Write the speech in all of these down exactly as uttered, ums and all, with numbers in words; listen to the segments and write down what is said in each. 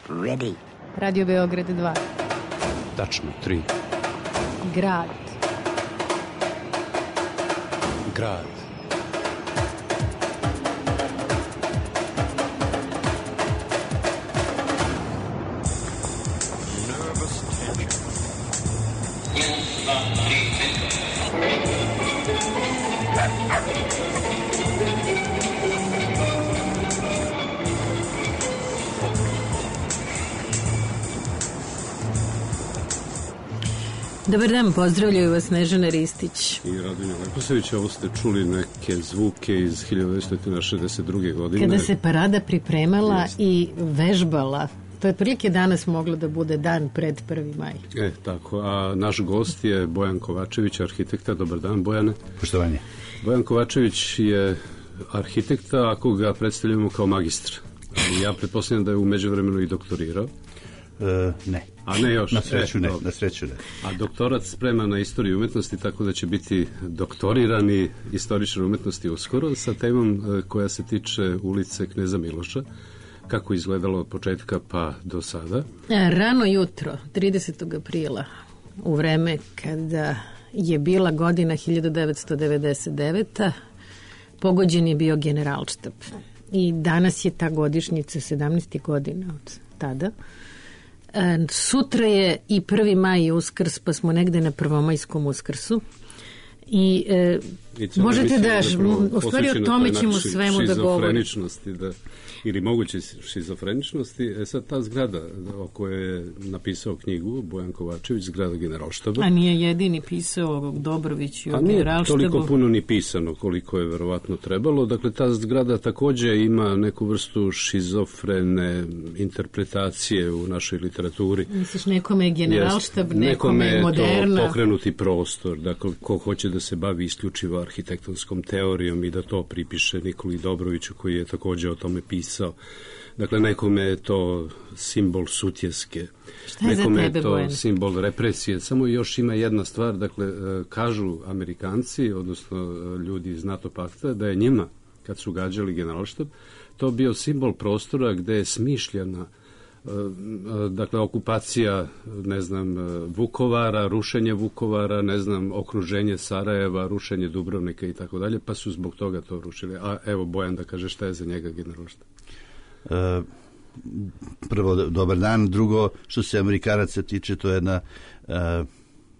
Ready. Radio Beograd dva. Tačno tri. Grad. Grad. Dobar dan, pozdravljaju vas Snežana Ristić I Radonja Leposević. Ovo ste čuli neke zvuke iz hiljadu devetsto šezdeset druge. godine. Kada se parada pripremala Jest. I vežbala. To je prilike danas moglo da bude dan pred prvi maj. E, tako. A naš gost je Bojan Kovačević, arhitekta. Dobar dan, Bojane. Poštovanje. Bojan Kovačević je arhitekta, ako ga predstavljamo kao magistra. Ali ja pretpostavljam da je u međuvremenu i doktorirao. E, ne. A ne još. Na sreću e, ne, dobro. na sreću ne. A doktorat sprema na istoriju umetnosti, tako da će biti doktorirani istoričar umetnosti uskoro sa temom e, koja se tiče ulice Kneza Miloša. Kako izgledalo od početka pa do sada? Rano jutro, tridesetog aprila, u vreme kada je bila godina hiljadu devetsto devedeset deveta, pogođen je bio Generalštab. I danas je ta godišnjica, sedamnaest godina od tada. E, sutra je i prvi maj i Uskrs, pa smo negde na prvomajskom Uskrsu. I, e, I možete da, zapravo u stvari o tome ćemo ši, svemu da govorimo. Da, ili moguće šizofreničnosti. E sad ta zgrada o kojoj je napisao knjigu Bojan Kovačević, zgrada Generalštaba. A nije jedini pisao Dobrović i o A nije Generalštabu. toliko puno ni pisano koliko je verovatno trebalo. Dakle, ta zgrada takođe ima neku vrstu šizofrene interpretacije u našoj literaturi. Misliš, nekome je Generalštab, Jest, nekome je moderna. Nekome je to pokrenuti prostor. Dakle, ko hoće da se bavi isključivo arhitektonskom teorijom i da to pripiše Nikoli Dobroviću, koji je takođe o tome pisao. Dakle, nekome je to simbol sutjeske. Šta je nekome za tebe, je to Bojan? Simbol represije. Samo još ima jedna stvar, dakle, kažu Amerikanci, odnosno ljudi iz NATO pakta, da je njima, kad su gađali Generalštab, to bio simbol prostora gde je smišljena dakle, okupacija, ne znam, Vukovara, rušenje Vukovara, ne znam, okruženje Sarajeva, rušenje Dubrovnika i tako dalje, pa su zbog toga to rušili. A evo, Bojan da kaže šta je za njega Generalštab. E, prvo, dobar dan. Drugo, što se Amerikanaca tiče, to je jedna, e,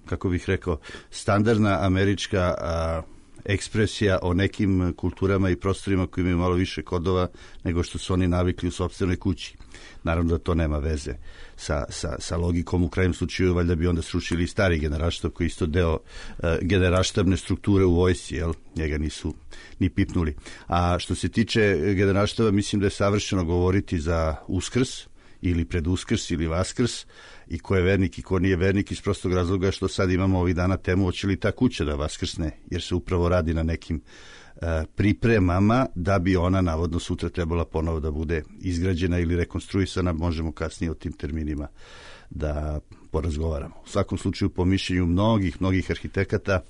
kako bih rekao, standardna američka a, ekspresija o nekim kulturama i prostorima koji imaju malo više kodova nego što su oni navikli u sopstvenoj kući. Naravno da to nema veze sa, sa, sa logikom. U krajnjem slučaju valjda bi onda srušili stari Generalštab koji je isto deo uh, generalštabne strukture u vojsci, jel? Njega nisu ni pipnuli. A što se tiče Generalštaba, mislim da je savršeno govoriti za Uskrs ili pred Uskrs ili Vaskrs i ko je vernik i ko nije vernik iz prostog razloga što sad imamo ovih dana temu hoće li ta kuća da vaskrsne, jer se upravo radi na nekim uh, pripremama da bi ona navodno sutra trebala ponovo da bude izgrađena ili rekonstruisana. Možemo kasnije o tim terminima da porazgovaramo. U svakom slučaju, po mišljenju mnogih, mnogih arhitekata,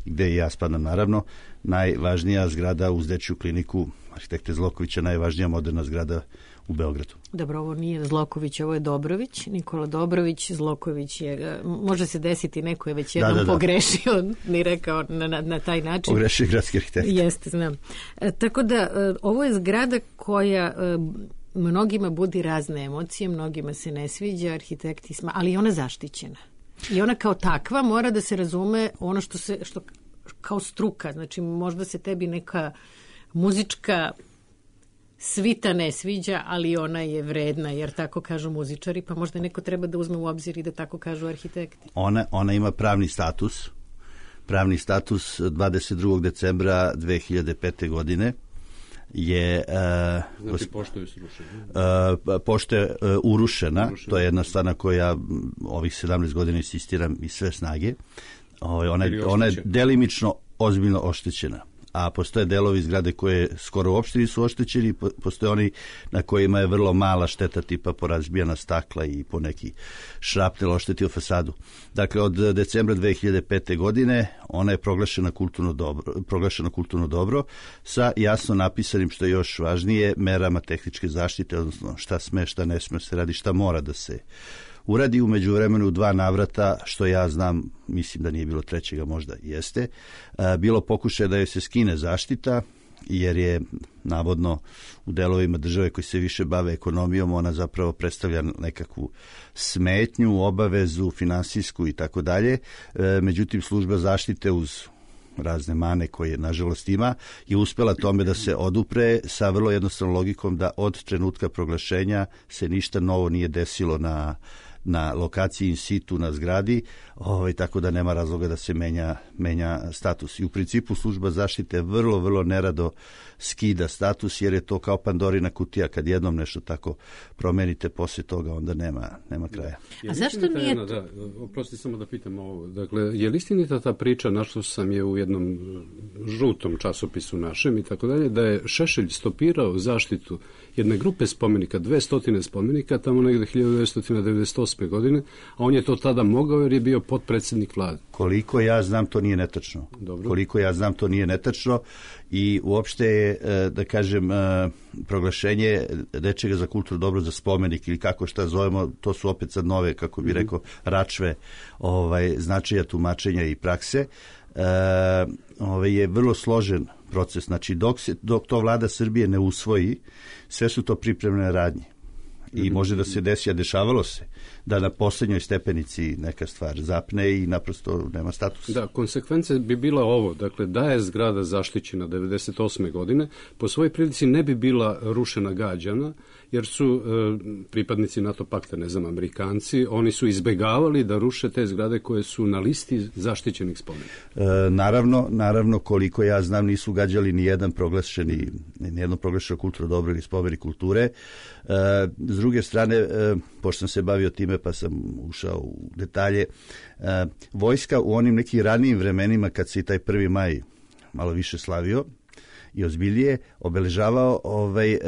gde i ja spadam naravno, najvažnija zgrada uz dečju kliniku arhitekte Zlokovića, najvažnija moderna zgrada u Beogradu. Dobro, ovo nije Zloković, ovo je Dobrović, Nikola Dobrović. Zloković je, može se desiti, neko je već jednom da, da, da. pogrešio, ni rekao na, na, na taj način. Pogrešio gradski arhitekt. Jeste, znam. E, tako da, e, ovo je zgrada koja e, mnogima budi razne emocije, mnogima se ne sviđa, arhitekti sma, ali je ona zaštićena. I ona kao takva mora da se razume ono što se, što kao struka, znači možda se tebi neka muzička svita ne sviđa, ali ona je vredna, jer tako kažu muzičari, pa možda neko treba da uzme u obzir i da tako kažu arhitekti. Ona, ona ima pravni status, pravni status dvadeset drugog decembra dve hiljade pete. godine je uh, znači pošto je srušena. Uh, pošto je uh, urušena, urušena, to je jedna stvar na koju ja ovih sedamnaest godina insistiram i sve snage. Ona, ona je delimično ozbiljno oštećena. a postoje delovi zgrade koje skoro uopšte nisu oštećeni, postoje oni na kojima je vrlo mala šteta, tipa porazbijana stakla i po neki šrapnel oštetio fasadu. Dakle, od decembra dve hiljade pete. godine ona je proglašena kulturno dobro, proglašena kulturno dobro sa jasno napisanim, što je još važnije, merama tehničke zaštite, odnosno šta sme, šta ne sme se radi, šta mora da se uradi. U međuvremenu dva navrata, što ja znam, mislim da nije bilo trećega, možda jeste, bilo pokušaja da joj se skine zaštita, jer je navodno u delovima države koji se više bave ekonomijom, ona zapravo predstavlja nekakvu smetnju, obavezu, finansijsku i tako dalje. Međutim, služba zaštite uz razne mane koje nažalost ima je uspela tome da se odupre sa vrlo jednostavnom logikom da od trenutka proglašenja se ništa novo nije desilo na na lokaciji in situ na zgradi, ovaj, tako da nema razloga da se menja, menja status. I u principu služba zaštite vrlo, vrlo nerado skida status, jer je to kao Pandorina kutija, kad jednom nešto tako promenite, poslije toga onda nema, nema kraja. A zašto nije... Jedna, da, oprosti samo da pitam ovo. Dakle, je li istinita ta priča, našao sam je u jednom žutom časopisu našem i tako dalje, da je Šešelj stopirao zaštitu jedne grupe spomenika, dve stotine spomenika, tamo negde hiljadu devetsto devedeset osme. godine, a on je to tada mogao jer je bio potpredsjednik vlade. Koliko ja znam, to nije netačno. Dobro. Koliko ja znam, to nije netačno i uopšte je, da kažem, proglašenje nečega za kulturno dobro, za spomenik ili kako šta zovemo, to su opet sad nove, kako bi rekao, račve ovaj, značaja, tumačenja i prakse. E, ovaj, je vrlo složen proces. Znači, dok, se, dok to vlada Srbije ne usvoji, sve su to pripremne radnje. I može da se desi, a dešavalo se, da na posljednjoj stepenici neka stvar zapne i naprosto nema statusa. Da, konsekvence bi bila ovo, dakle, da je zgrada zaštićena devedeset osme. godine, po svojoj prilici ne bi bila rušena gađana, jer su e, pripadnici NATO pakta, ne znam, Amerikanci, oni su izbegavali da ruše te zgrade koje su na listi zaštićenih spomenika. E, naravno, naravno, koliko ja znam, nisu gađali ni jedan proglašeni, ni jedno proglašeno kulturno dobro ili spomenik kulture. E, s druge strane, e, pošto sam se bavio time pa sam ušao u detalje, e, vojska u onim nekim ranijim vremenima kad se i taj prvi maj malo više slavio i ozbiljije obeležavao, ovaj, e,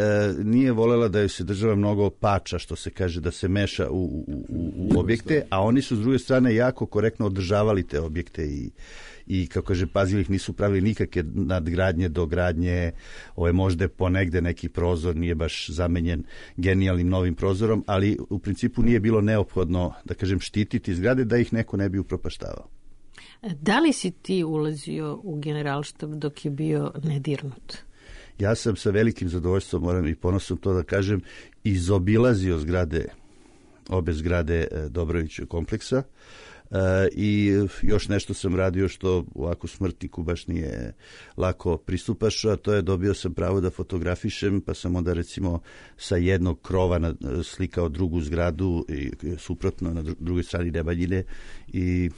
nije volela da joj se država mnogo pača, što se kaže, da se meša u, u, u, u objekte, a oni su s druge strane jako korektno održavali te objekte i i kako kaže, pazili ih, nisu pravili nikakve nadgradnje, dogradnje, ovo je možda ponegde neki prozor, nije baš zamenjen genijalnim novim prozorom, ali u principu nije bilo neophodno, da kažem, štititi zgrade da ih neko ne bi upropaštavao. Da li si ti ulazio u Generalštab dok je bio nedirnut? Ja sam sa velikim zadovoljstvom, moram i ponosom to da kažem, izobilazio zgrade, obe zgrade Dobrovićevog kompleksa. Uh, i još nešto sam radio što ovako smrtniku baš nije lako pristupaš, a to je dobio sam pravo da fotografišem, pa sam onda recimo sa jednog krova na, slikao drugu zgradu i suprotno na drugoj strani Nemanjine i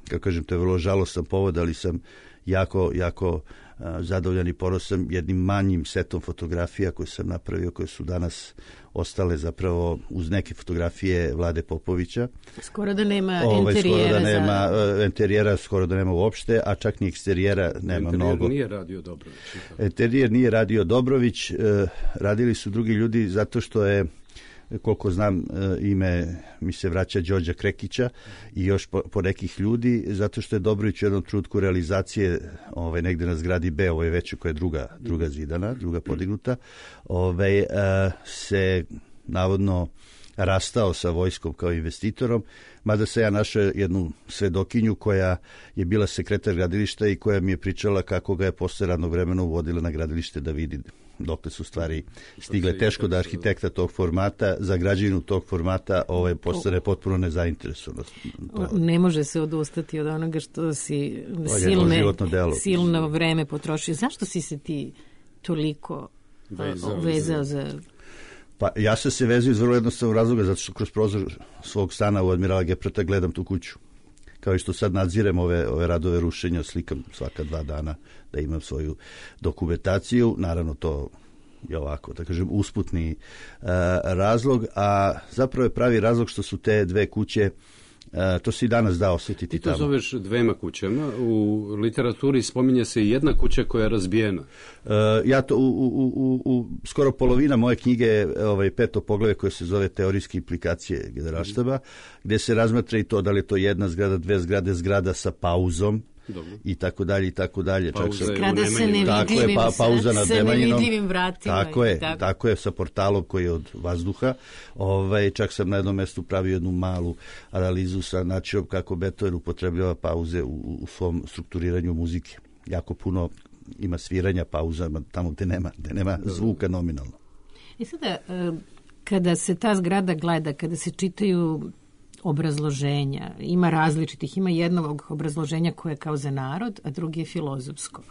kako kažem, to je vrlo žalostan povod, ali sam jako, jako a, zadovoljan i ponosan jednim manjim setom fotografija koje sam napravio, koje su danas ostale zapravo uz neke fotografije Vlade Popovića. Skoro da nema Ove, interijera. Skoro da nema za... interijera, skoro da nema uopšte, a čak ni eksterijera nema Interijer mnogo. Nije radio Dobrović. Interijer nije radio Dobrović, e, radili su drugi ljudi zato što je, koliko znam, ime mi se vraća Đorđa Krekića i još po, po nekih ljudi, zato što je Dobrović u jednom trenutku realizacije ovaj, negde na zgradi B, ovo je već koja je druga, druga zidana, druga podignuta, ovaj, se navodno rastao sa vojskom kao investitorom, mada se ja našao jednu svedokinju koja je bila sekretar gradilišta i koja mi je pričala kako ga je posle radnog vremena uvodila na gradilište da vidi dokle su stvari stigle. Teško da arhitekta tog formata za građevinu tog formata ovaj postane potpuno nezainteresovan. Ne može se odustati od onoga što si silne, silno vreme potrošio. Zašto si se ti toliko vezao, vezao za... Pa ja sam se vezao iz vrlo jednostavnog razloga, zato što kroz prozor svog stana u Admirala Geprata gledam tu kuću. Kao i što sad nadzirem ove, ove radove rušenja, slikam svaka dva dana da imam svoju dokumentaciju. Naravno, to je ovako, da kažem, usputni uh, razlog, a zapravo je pravi razlog što su te dve kuće Uh, to se i danas da osjetiti tamo. I to tamo zoveš dvema kućama. U literaturi spominje se jedna kuća koja je razbijena. Uh, ja to, u, u, u, u skoro polovina moje knjige je ovaj, peto poglavlje koje se zove Teorijske implikacije Generalštaba, mm. gdje se razmatra i to da li je to jedna zgrada, dve zgrade, zgrada sa pauzom, dobro, i tako dalje i tako dalje. Zgrada se nevidljivim, pa, pauza nad nevidljivim vratima. Tako je, tako. tako je, sa portalom koji je od vazduha. Ovaj, čak sam na jednom mjestu pravio jednu malu analizu sa načinom kako Beethoven upotrebljava pauze u, u svom strukturiranju muzike. Jako puno ima sviranja pauza tamo gdje nema, gdje nema zvuka nominalno. I sada, kada se ta zgrada gleda, kada se čitaju obrazloženja, ima različitih, ima jednog obrazloženja koje je kao za narod, a drugi je filozofsko.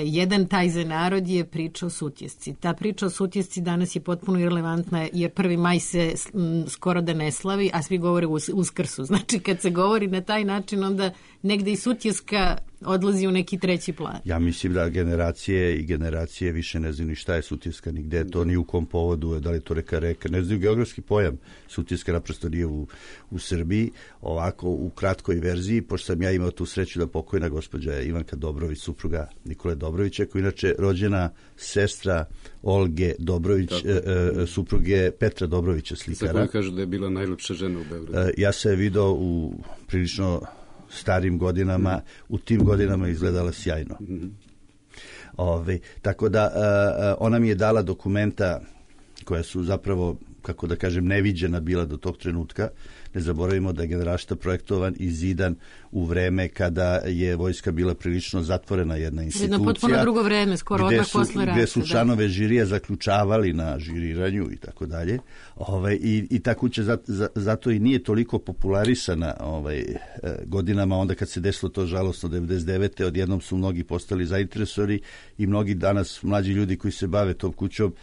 Jedan taj za narod je priča o Sutjesci. Ta priča o Sutjesci danas je potpuno irelevantna, jer prvi maj se m, skoro da ne slavi, a svi govore o Uskrsu. Znači, kad se govori na taj način, onda negde i Sutjeska odlazi u neki treći plan. Ja mislim da generacije i generacije više ne znaju ni šta je Sutjeska, ni gde je to, ni u kom povodu, da li je to reka reka, ne znaju geografski pojam. Sutjeska naprosto nije u, u Srbiji. Ovako, u kratkoj verziji, pošto sam ja imao tu sreću da pokojna gospođa Ivanka Dobrović, supruga Nikole Dobrovića, koja inače rođena sestra Olge Dobrović, e, e, supruge Petra Dobrovića, slikara. Za koju kažu da je bila najlepša žena u Beogradu. E, ja se je video u prilično starim godinama, mm. u tim godinama izgledala sjajno. Mm. Ove, tako da uh, ona mi je dala dokumenta koja su zapravo, kako da kažem, neviđena bila do tog trenutka. Ne zaboravimo da je Generalštab projektovan i zidan u vreme kada je vojska bila prilično zatvorena jedna institucija. Jedno potpuno drugo vreme, skoro odmah posle rata. Gde su članove žirija zaključavali na žiriranju i tako dalje. Ovaj, i, I ta kuća za, za, zato i nije toliko popularisana ovaj, godinama, onda kad se desilo to žalosno devedeset devete odjednom su mnogi postali zainteresovani i mnogi danas mlađi ljudi koji se bave tom kućom,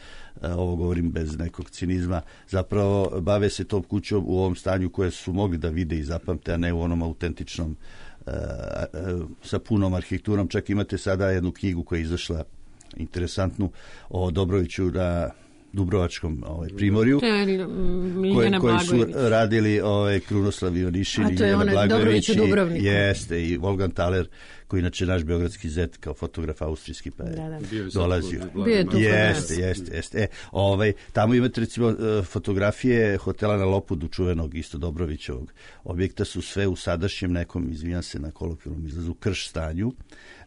ovo govorim bez nekog cinizma, zapravo bave se tom kućom u ovom stanju koje su mogli da vide i zapamte, a ne u onom autentičnom uh, uh, sa punom arhitekturom. Čak imate sada jednu knjigu koja je izašla interesantnu o Dobroviću na Dubrovačkom ovaj, primorju, koje, koji su radili ovaj, Krunoslav Ivanišin i Miljana Blagojević i, jeste, i Wolfgang Thaler, koji inače naš beogradski zet kao fotograf austrijski, pa je da, da. dolazio. Jeste, jeste, jeste. E, ovaj, tamo imate recimo fotografije hotela na Lopudu, čuvenog isto Dobrovićevog objekta, su sve u sadašnjem nekom, izvinjam se na kolokvijalnom izrazu, krš stanju.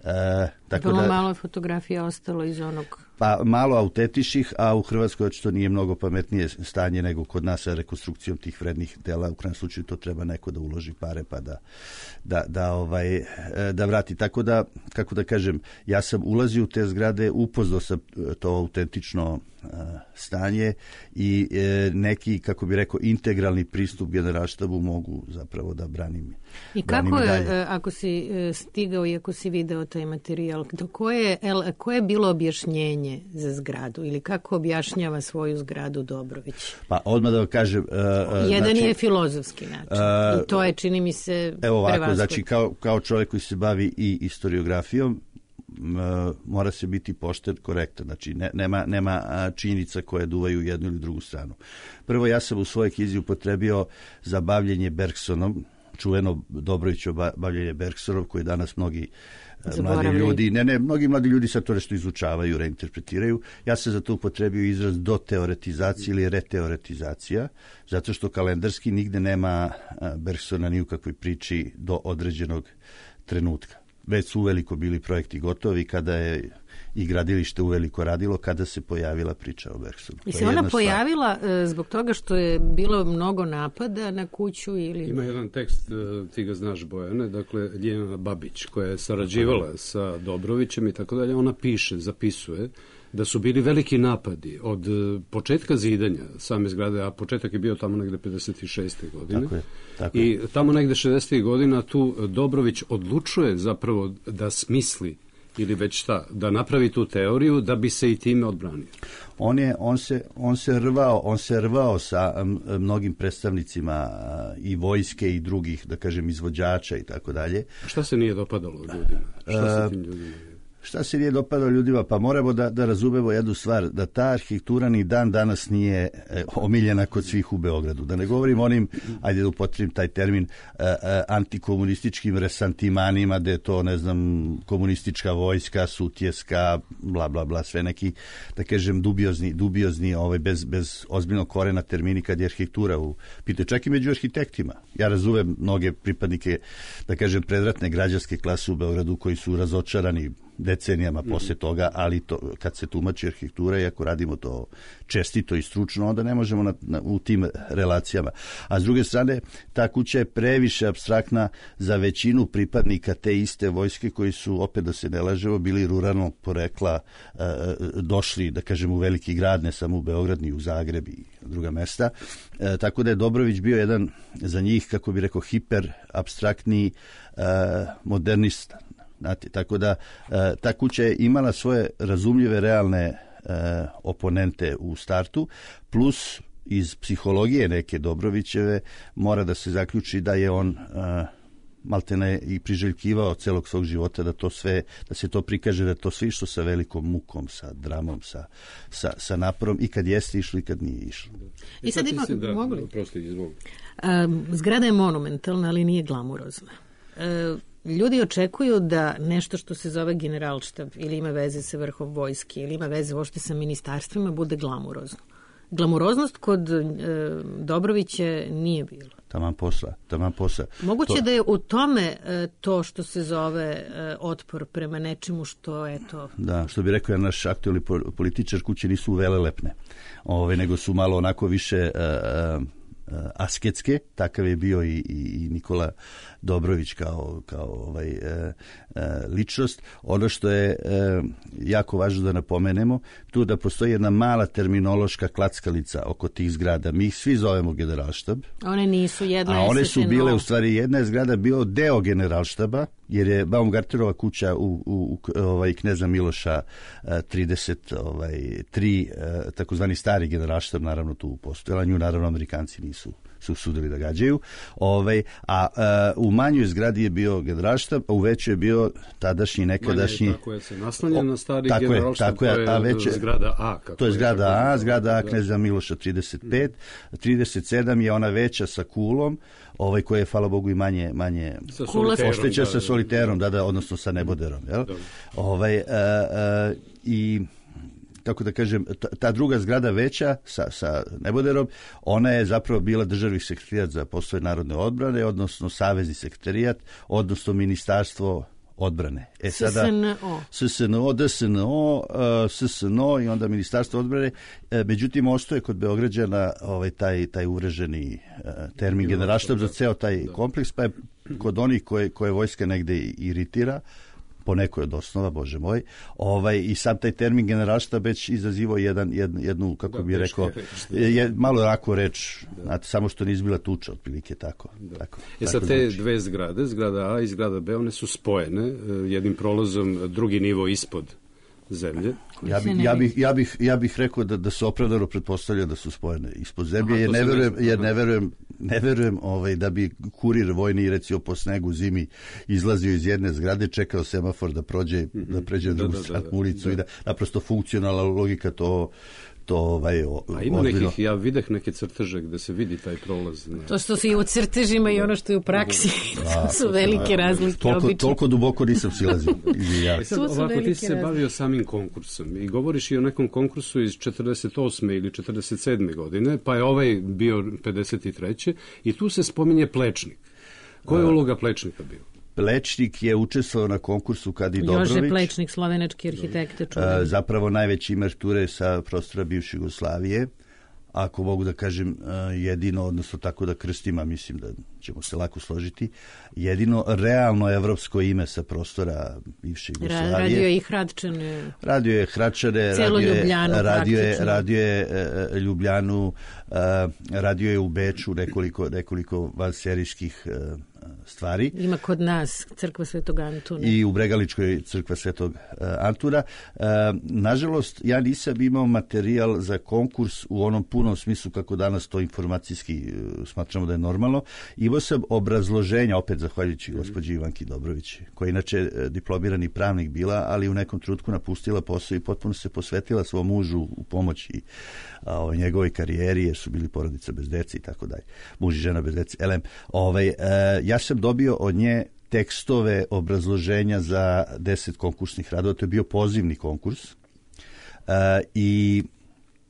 E, tako Vrlo da, malo fotografija ostalo iz onog... Pa malo autentičnih, a u Hrvatskoj očito nije mnogo pametnije stanje nego kod nas sa rekonstrukcijom tih vrednih dela. U krajnjem slučaju to treba neko da uloži pare pa da, da, da, ovaj, da vrati. Tako da, kako da kažem, ja sam ulazio u te zgrade, upoznao sam to autentično stanje i neki, kako bi rekao, integralni pristup Generalštabu mogu zapravo da branim. I kako je, ako si stigao i ako si video taj materijal, koje, koje je bilo objašnjenje za zgradu ili kako objašnjava svoju zgradu Dobrović? Pa odmah da vam kažem... Uh, Jedan znači, je filozofski način uh, i to je, čini mi se, evo ovako, znači kao, kao čovjek koji se bavi i historiografijom, Uh, mora se biti pošten, korektan, znači ne, nema, nema činjenica koje duvaju jednu ili drugu stranu. Prvo, ja sam u svojoj knjizi upotrebio za bavljenje Bergsonom, čuveno Dobrovićevo bavljenje Bergsonom, koji danas mnogi Zaboravili. mladi ljudi, ne, ne, mnogi mladi ljudi sad to nešto izučavaju, reinterpretiraju. Ja sam za to upotrebio izraz doteoretizacija ili reteoretizacija, zato što kalendarski nigde nema Bergsona ni u kakvoj priči do određenog trenutka. Već su uveliko bili projekti gotovi kada je i gradilište uveliko radilo, kada se pojavila priča o Bergsonu. I se ona pojavila stvar. Zbog toga što je bilo mnogo napada na kuću ili... Ima jedan tekst, ti ga znaš, Bojane, dakle Ljiljana Babić, koja je sarađivala sa Dobrovićem i tako dalje, ona piše, zapisuje da su bili veliki napadi od početka zidanja same zgrade, a početak je bio tamo negde pedeset šeste godine. Tako je, tako I je. tamo negde šezdesetih godina tu Dobrović odlučuje zapravo da smisli ili već šta, da napravi tu teoriju da bi se i time odbranio. On je, on se, on se rvao, on se rvao sa mnogim predstavnicima i vojske i drugih, da kažem, izvođača i tako dalje. Šta se nije dopadalo ljudima? Šta se tim ljudima? Šta se nije dopadalo ljudima? Pa moramo da, da razumemo jednu stvar, da ta arhitektura ni dan danas nije e, omiljena kod svih u Beogradu. Da ne govorim onim, ajde da upotrebim taj termin, e, e, antikomunističkim resantimanima, da je to, ne znam, komunistička vojska, sutjeska, bla, bla, bla, sve neki, da kažem, dubiozni, dubiozni ovaj, bez, bez ozbiljnog korena termini kad je arhitektura u pitanju. Čak i među arhitektima. Ja razumem mnoge pripadnike, da kažem, predratne građanske klase u Beogradu koji su razočarani decenijama posle toga, ali to, kad se tumači arhitektura i ako radimo to čestito i stručno, onda ne možemo na, na, u tim relacijama. A s druge strane, ta kuća je previše apstraktna za većinu pripadnika te iste vojske koji su, opet da se ne lažemo, bili ruralnog porekla, e, došli, da kažem, u veliki grad, ne samo u Beograd, ni u Zagreb i druga mesta. E, tako da je Dobrović bio jedan za njih, kako bi rekao, hiper apstraktni e, modernista. Znate, tako da e, ta kuća je imala svoje razumljive realne e, oponente u startu, plus iz psihologije neke Dobrovićeve mora da se zaključi da je on e, maltene i priželjkivao celog svog života da to sve, da se to prikaže, da to sve išlo sa velikom mukom, sa dramom, sa, sa, sa naporom i kad jeste išlo i kad nije išlo. I sad ima, da, mogu li? Prosto izvoli. Um, zgrada je monumentalna, ali nije glamurozna. Uh, Ljudi očekuju da nešto što se zove generalštab ili ima veze sa vrhom vojske ili ima veze uopšte sa ministarstvima bude glamurozno. Glamuroznost kod e, Dobrovića nije bilo. Taman posla, taman posla. Moguće to... da je u tome e, to što se zove e, otpor prema nečemu što je to... Da, što bi rekao je naš aktualni političar, kuće nisu velelepne, ove, nego su malo onako više... E, asketske, takav je bio i, i Nikola Dobrović kao, kao ovaj, e, e, ličnost. Ono što je e, jako važno da napomenemo, tu da postoji jedna mala terminološka klackalica oko tih zgrada. Mi ih svi zovemo generalštab. One nisu, jedna a je one S su N O. bile, u stvari, jedna je zgrada bio deo generalštaba, jer je Baumgarterova kuća u, u, u ovaj, Kneza Miloša trideset tri, takozvani stari generalštab, naravno tu postojala, nju naravno Amerikanci nisu su sudili da gađaju. Ovaj, a, a u manjoj zgradi je bio generalštab, a u većoj je bio tadašnji nekadašnji... Manje je tako je se naslanja na stari tako generalštab, tako je, to je veće, zgrada A. Kako to je zgrada je, A, zgrada A Kneza Miloša trideset pet, trideset sedam je ona veća sa kulom, ovaj koja je, hvala Bogu, i manje, manje ošteća sa soliterom, da, da, odnosno sa neboderom. Jel? Ovaj, a, a, i... kako da kažem, ta, ta druga zgrada veća sa, sa neboderom, ona je zapravo bila državni sekretarijat za poslove narodne odbrane, odnosno savezni sekretarijat, odnosno ministarstvo odbrane. E sada S S N O. S S N O, D S N O, S S N O i onda ministarstvo odbrane. E, međutim, ostaje kod Beograđana ovaj, taj, taj uvreženi uh, termin generalštab za ceo taj kompleks, pa je kod onih koje, koje vojska negde iritira, po nekoj od osnova, bože moj, ovaj, i sam taj termin generalštab već izazivao jedan, jednu, jednu kako da, bi rekao, je, malo rako reč, da. Znate, samo što nije izbila tuča, otprilike tako. Da. tako e sad te znači. Dve zgrade, zgrada A i zgrada B, one su spojene jednim prolazom, drugi nivo ispod zemlje. Ja bih ja bih ja bih ja bih rekao da da se opravdano pretpostavlja da su spojene ispod zemlje. Aha, jer ne verujem jer ne verujem ne verujem ovaj da bi kurir vojni recimo po snegu zimi izlazio iz jedne zgrade, čekao semafor da prođe mm-hmm. da pređe na drugu stranu ulicu da. I da naprosto funkcionalna logika to to ovaj o, a ima ozbiljno. Nekih, ja videh neke crteže gde se vidi taj prolaz. Ne. To što se i u crtežima i ono što je u praksi, da, to su velike razlike. Toliko, toliko duboko nisam silazio. Ja. Sad, ovako ti si se bavio samim konkursom i govoriš i o nekom konkursu iz četrdeset osme ili četrdeset sedme godine, pa je ovaj bio pedeset treće i tu se spominje Plečnik. Koja je uloga Plečnika bio? Plečnik je učestvovao na konkursu kad i Dobrović. Jože Plečnik, slovenački arhitekte. A, zapravo najveći ime arhitekture sa prostora bivše Jugoslavije. Ako mogu da kažem jedino, odnosno tako da krstim, a mislim da ćemo se lako složiti, jedino realno evropsko ime sa prostora bivše Jugoslavije. Radio je i Hradčane. Radio je Hradčane, radio je Ljubljanu, radio je, radio je e, Ljubljanu, e, radio je u Beču nekoliko, nekoliko vanserijskih e, stvari. Ima kod nas crkva Svetog Antuna. I u Bregaličkoj crkva Svetog uh, Antura. Uh, nažalost, ja nisam imao materijal za konkurs u onom punom smislu kako danas to informacijski uh, smatramo da je normalno. Imao sam obrazloženja, opet zahvaljujući gospođi Ivanki Dobrović, koja je inače uh, diplomirani pravnik bila, ali u nekom trenutku napustila posao i potpuno se posvetila svom mužu u pomoći o njegovoj karijeri, jer su bili porodica bez dece i tako dalje. Muž i žena bez dece. Elem, ovaj, e, ja sam dobio od nje tekstove obrazloženja za deset konkursnih radova. To je bio pozivni konkurs. E, I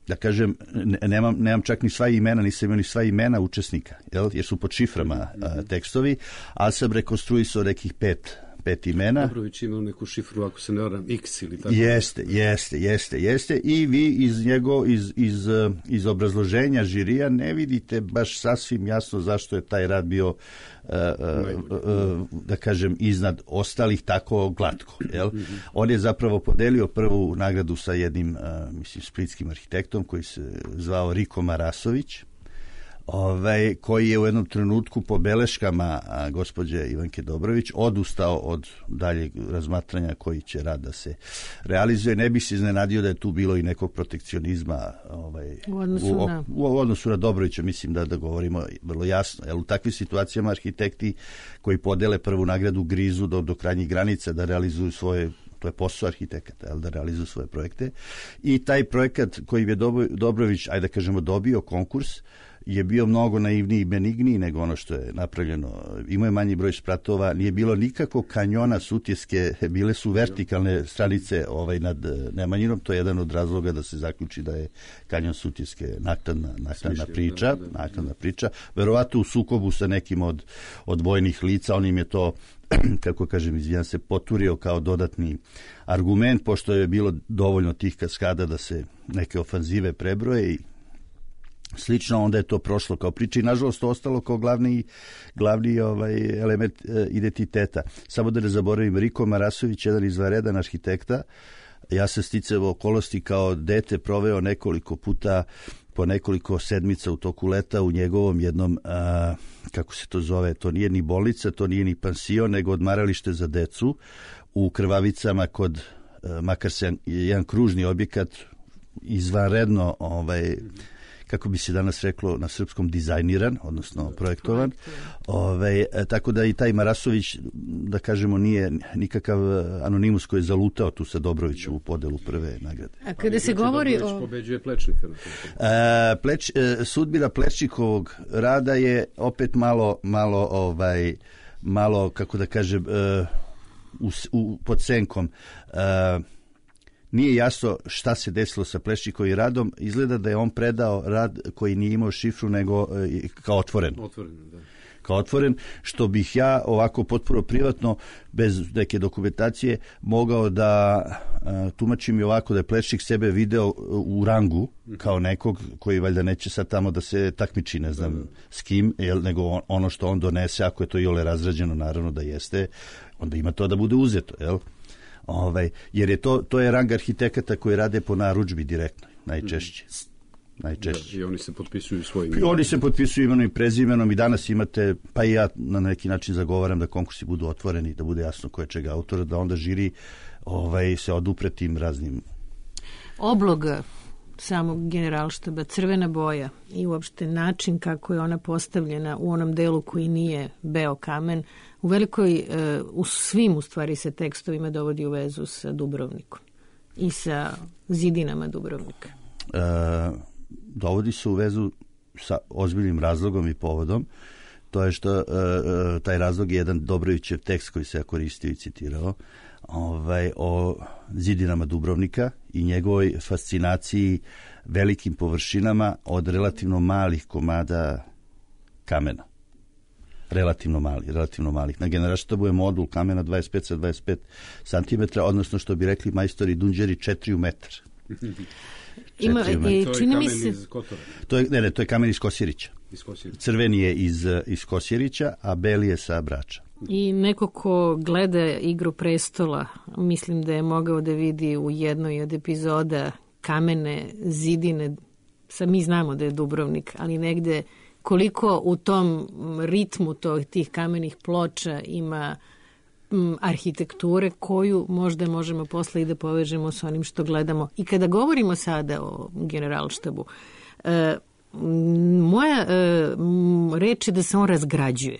da kažem, nemam, nemam čak ni sva imena, nisam imao ni sva imena učesnika, jel? Jer su pod šiframa a, tekstovi, ali sam rekonstruisao nekih pet pet imena. Dobrović imao neku šifru, ako se ne varam, X ili tako. Jeste, jeste, jeste, jeste. I vi iz njego, iz, iz, iz obrazloženja žirija ne vidite baš sasvim jasno zašto je taj rad bio, uh, uh, uh, da kažem, iznad ostalih tako glatko. Jel? Mm-hmm. On je zapravo podelio prvu nagradu sa jednim, uh, mislim, splitskim arhitektom koji se zvao Riko Marasović. Ovaj, koji je u jednom trenutku po beleškama a, gospođe Ivanke Dobrović odustao od daljeg razmatranja koji će rad da se realizuje. Ne bi se iznenadio da je tu bilo i nekog protekcionizma ovaj, u, odnosu u, na... u, u odnosu na Dobrovića, mislim da, da govorimo vrlo jasno. Jer u takvim situacijama arhitekti koji podele prvu nagradu grizu do, do krajnjih granica da realizuju svoje, to je posao arhitekata, jel, da realizuju svoje projekte. I taj projekat koji je Dobrović, ajde da kažemo, dobio konkurs, je bio mnogo naivniji i benigniji nego ono što je napravljeno. Imao je manji broj spratova, nije bilo nikako kanjona Sutjeske, bile su vertikalne stranice ovaj, nad Nemanjinom, to je jedan od razloga da se zaključi da je kanjon Sutjeske naknadna, naknadna priča, naknadna priča. Verovatno u sukobu sa nekim od, od vojnih lica, on im je to, kako kažem, izvijan se, poturio kao dodatni argument, pošto je bilo dovoljno tih kaskada da se neke ofanzive prebroje i slično, onda je to prošlo kao priča i nažalost to ostalo kao glavni, glavni ovaj, element e, identiteta. Samo da ne zaboravim, Riko Marasović, jedan izvanredan arhitekta, ja sam sticao okolosti kao dete proveo nekoliko puta po nekoliko sedmica u toku leta u njegovom jednom, a, kako se to zove, to nije ni bolnica, to nije ni pansion, nego odmaralište za decu u Krvavicama kod, a, makar se jedan kružni objekat izvanredno ovaj, kako bi se danas reklo na srpskom, dizajniran, odnosno projektovan. Ove, tako da i taj Marasović, da kažemo, nije nikakav anonimus koji je zalutao tu sa Dobroviću u podelu prve nagrade. A kada se govori Dobrović o... pobeđuje Plečnika. E, pleč, e, sudbina Plečnikovog rada je opet malo, malo, ovaj, malo kako da kažem, e, u, u, pod senkom. E, Nije jasno šta se desilo sa Plečnikovim radom. Izgleda da je on predao rad koji nije imao šifru, nego e, kao otvoren. Otvoren, da. Kao otvoren, što bih ja ovako potpuno privatno, bez neke dokumentacije, mogao da a, tumačim i ovako da je Plečnik sebe video u rangu kao nekog koji valjda neće sad tamo da se takmiči, ne znam, da, da. s kim, jel, nego on, ono što on donese, ako je to iole razrađeno, naravno da jeste, onda ima to da bude uzeto, jel? Ovaj, jer je to, to je rang arhitekata koji rade po narudžbi direktno, najčešće. najčešće. Da, i oni se potpisuju svojim. I oni se potpisuju imenom i prezimenom i danas imate, pa i ja na neki način zagovaram da konkursi budu otvoreni, da bude jasno ko je čega autora, da onda žiri ovaj, se odupre tim raznim. Obloga samog generalštaba, crvena boja i uopšte način kako je ona postavljena u onom delu koji nije beo kamen, u velikoj, u svim u stvari se tekstovima dovodi u vezu sa Dubrovnikom i sa zidinama Dubrovnika. E, dovodi se u vezu sa ozbiljnim razlogom i povodom. To je što e, taj razlog je jedan Dobrovićev tekst koji se ja koristio i citirao, ovaj, o zidinama Dubrovnika i njegovoj fascinaciji velikim površinama od relativno malih komada kamena. Relativno mali, relativno malih. Na generalštabu je modul kamena dvadeset pet sa dvadeset pet centimetara, odnosno što bi rekli majstori Dunđeri, četiri metra. Ima, i, čini mi se... To je, ne, ne, to je kamen iz Kosjerića. Iz Kosjerića. Crveni je iz, iz Kosjerića, a beli je sa Brača. I neko ko gleda Igru prestola, mislim da je mogao da vidi u jednoj od epizoda kamene zidine, sa mi znamo da je Dubrovnik, ali negde koliko u tom ritmu to, tih kamenih ploča ima m, arhitekture koju možda možemo posle i da povežemo s onim što gledamo. I kada govorimo sada o Generalštabu, e, moja e, reč je da se on razgrađuje.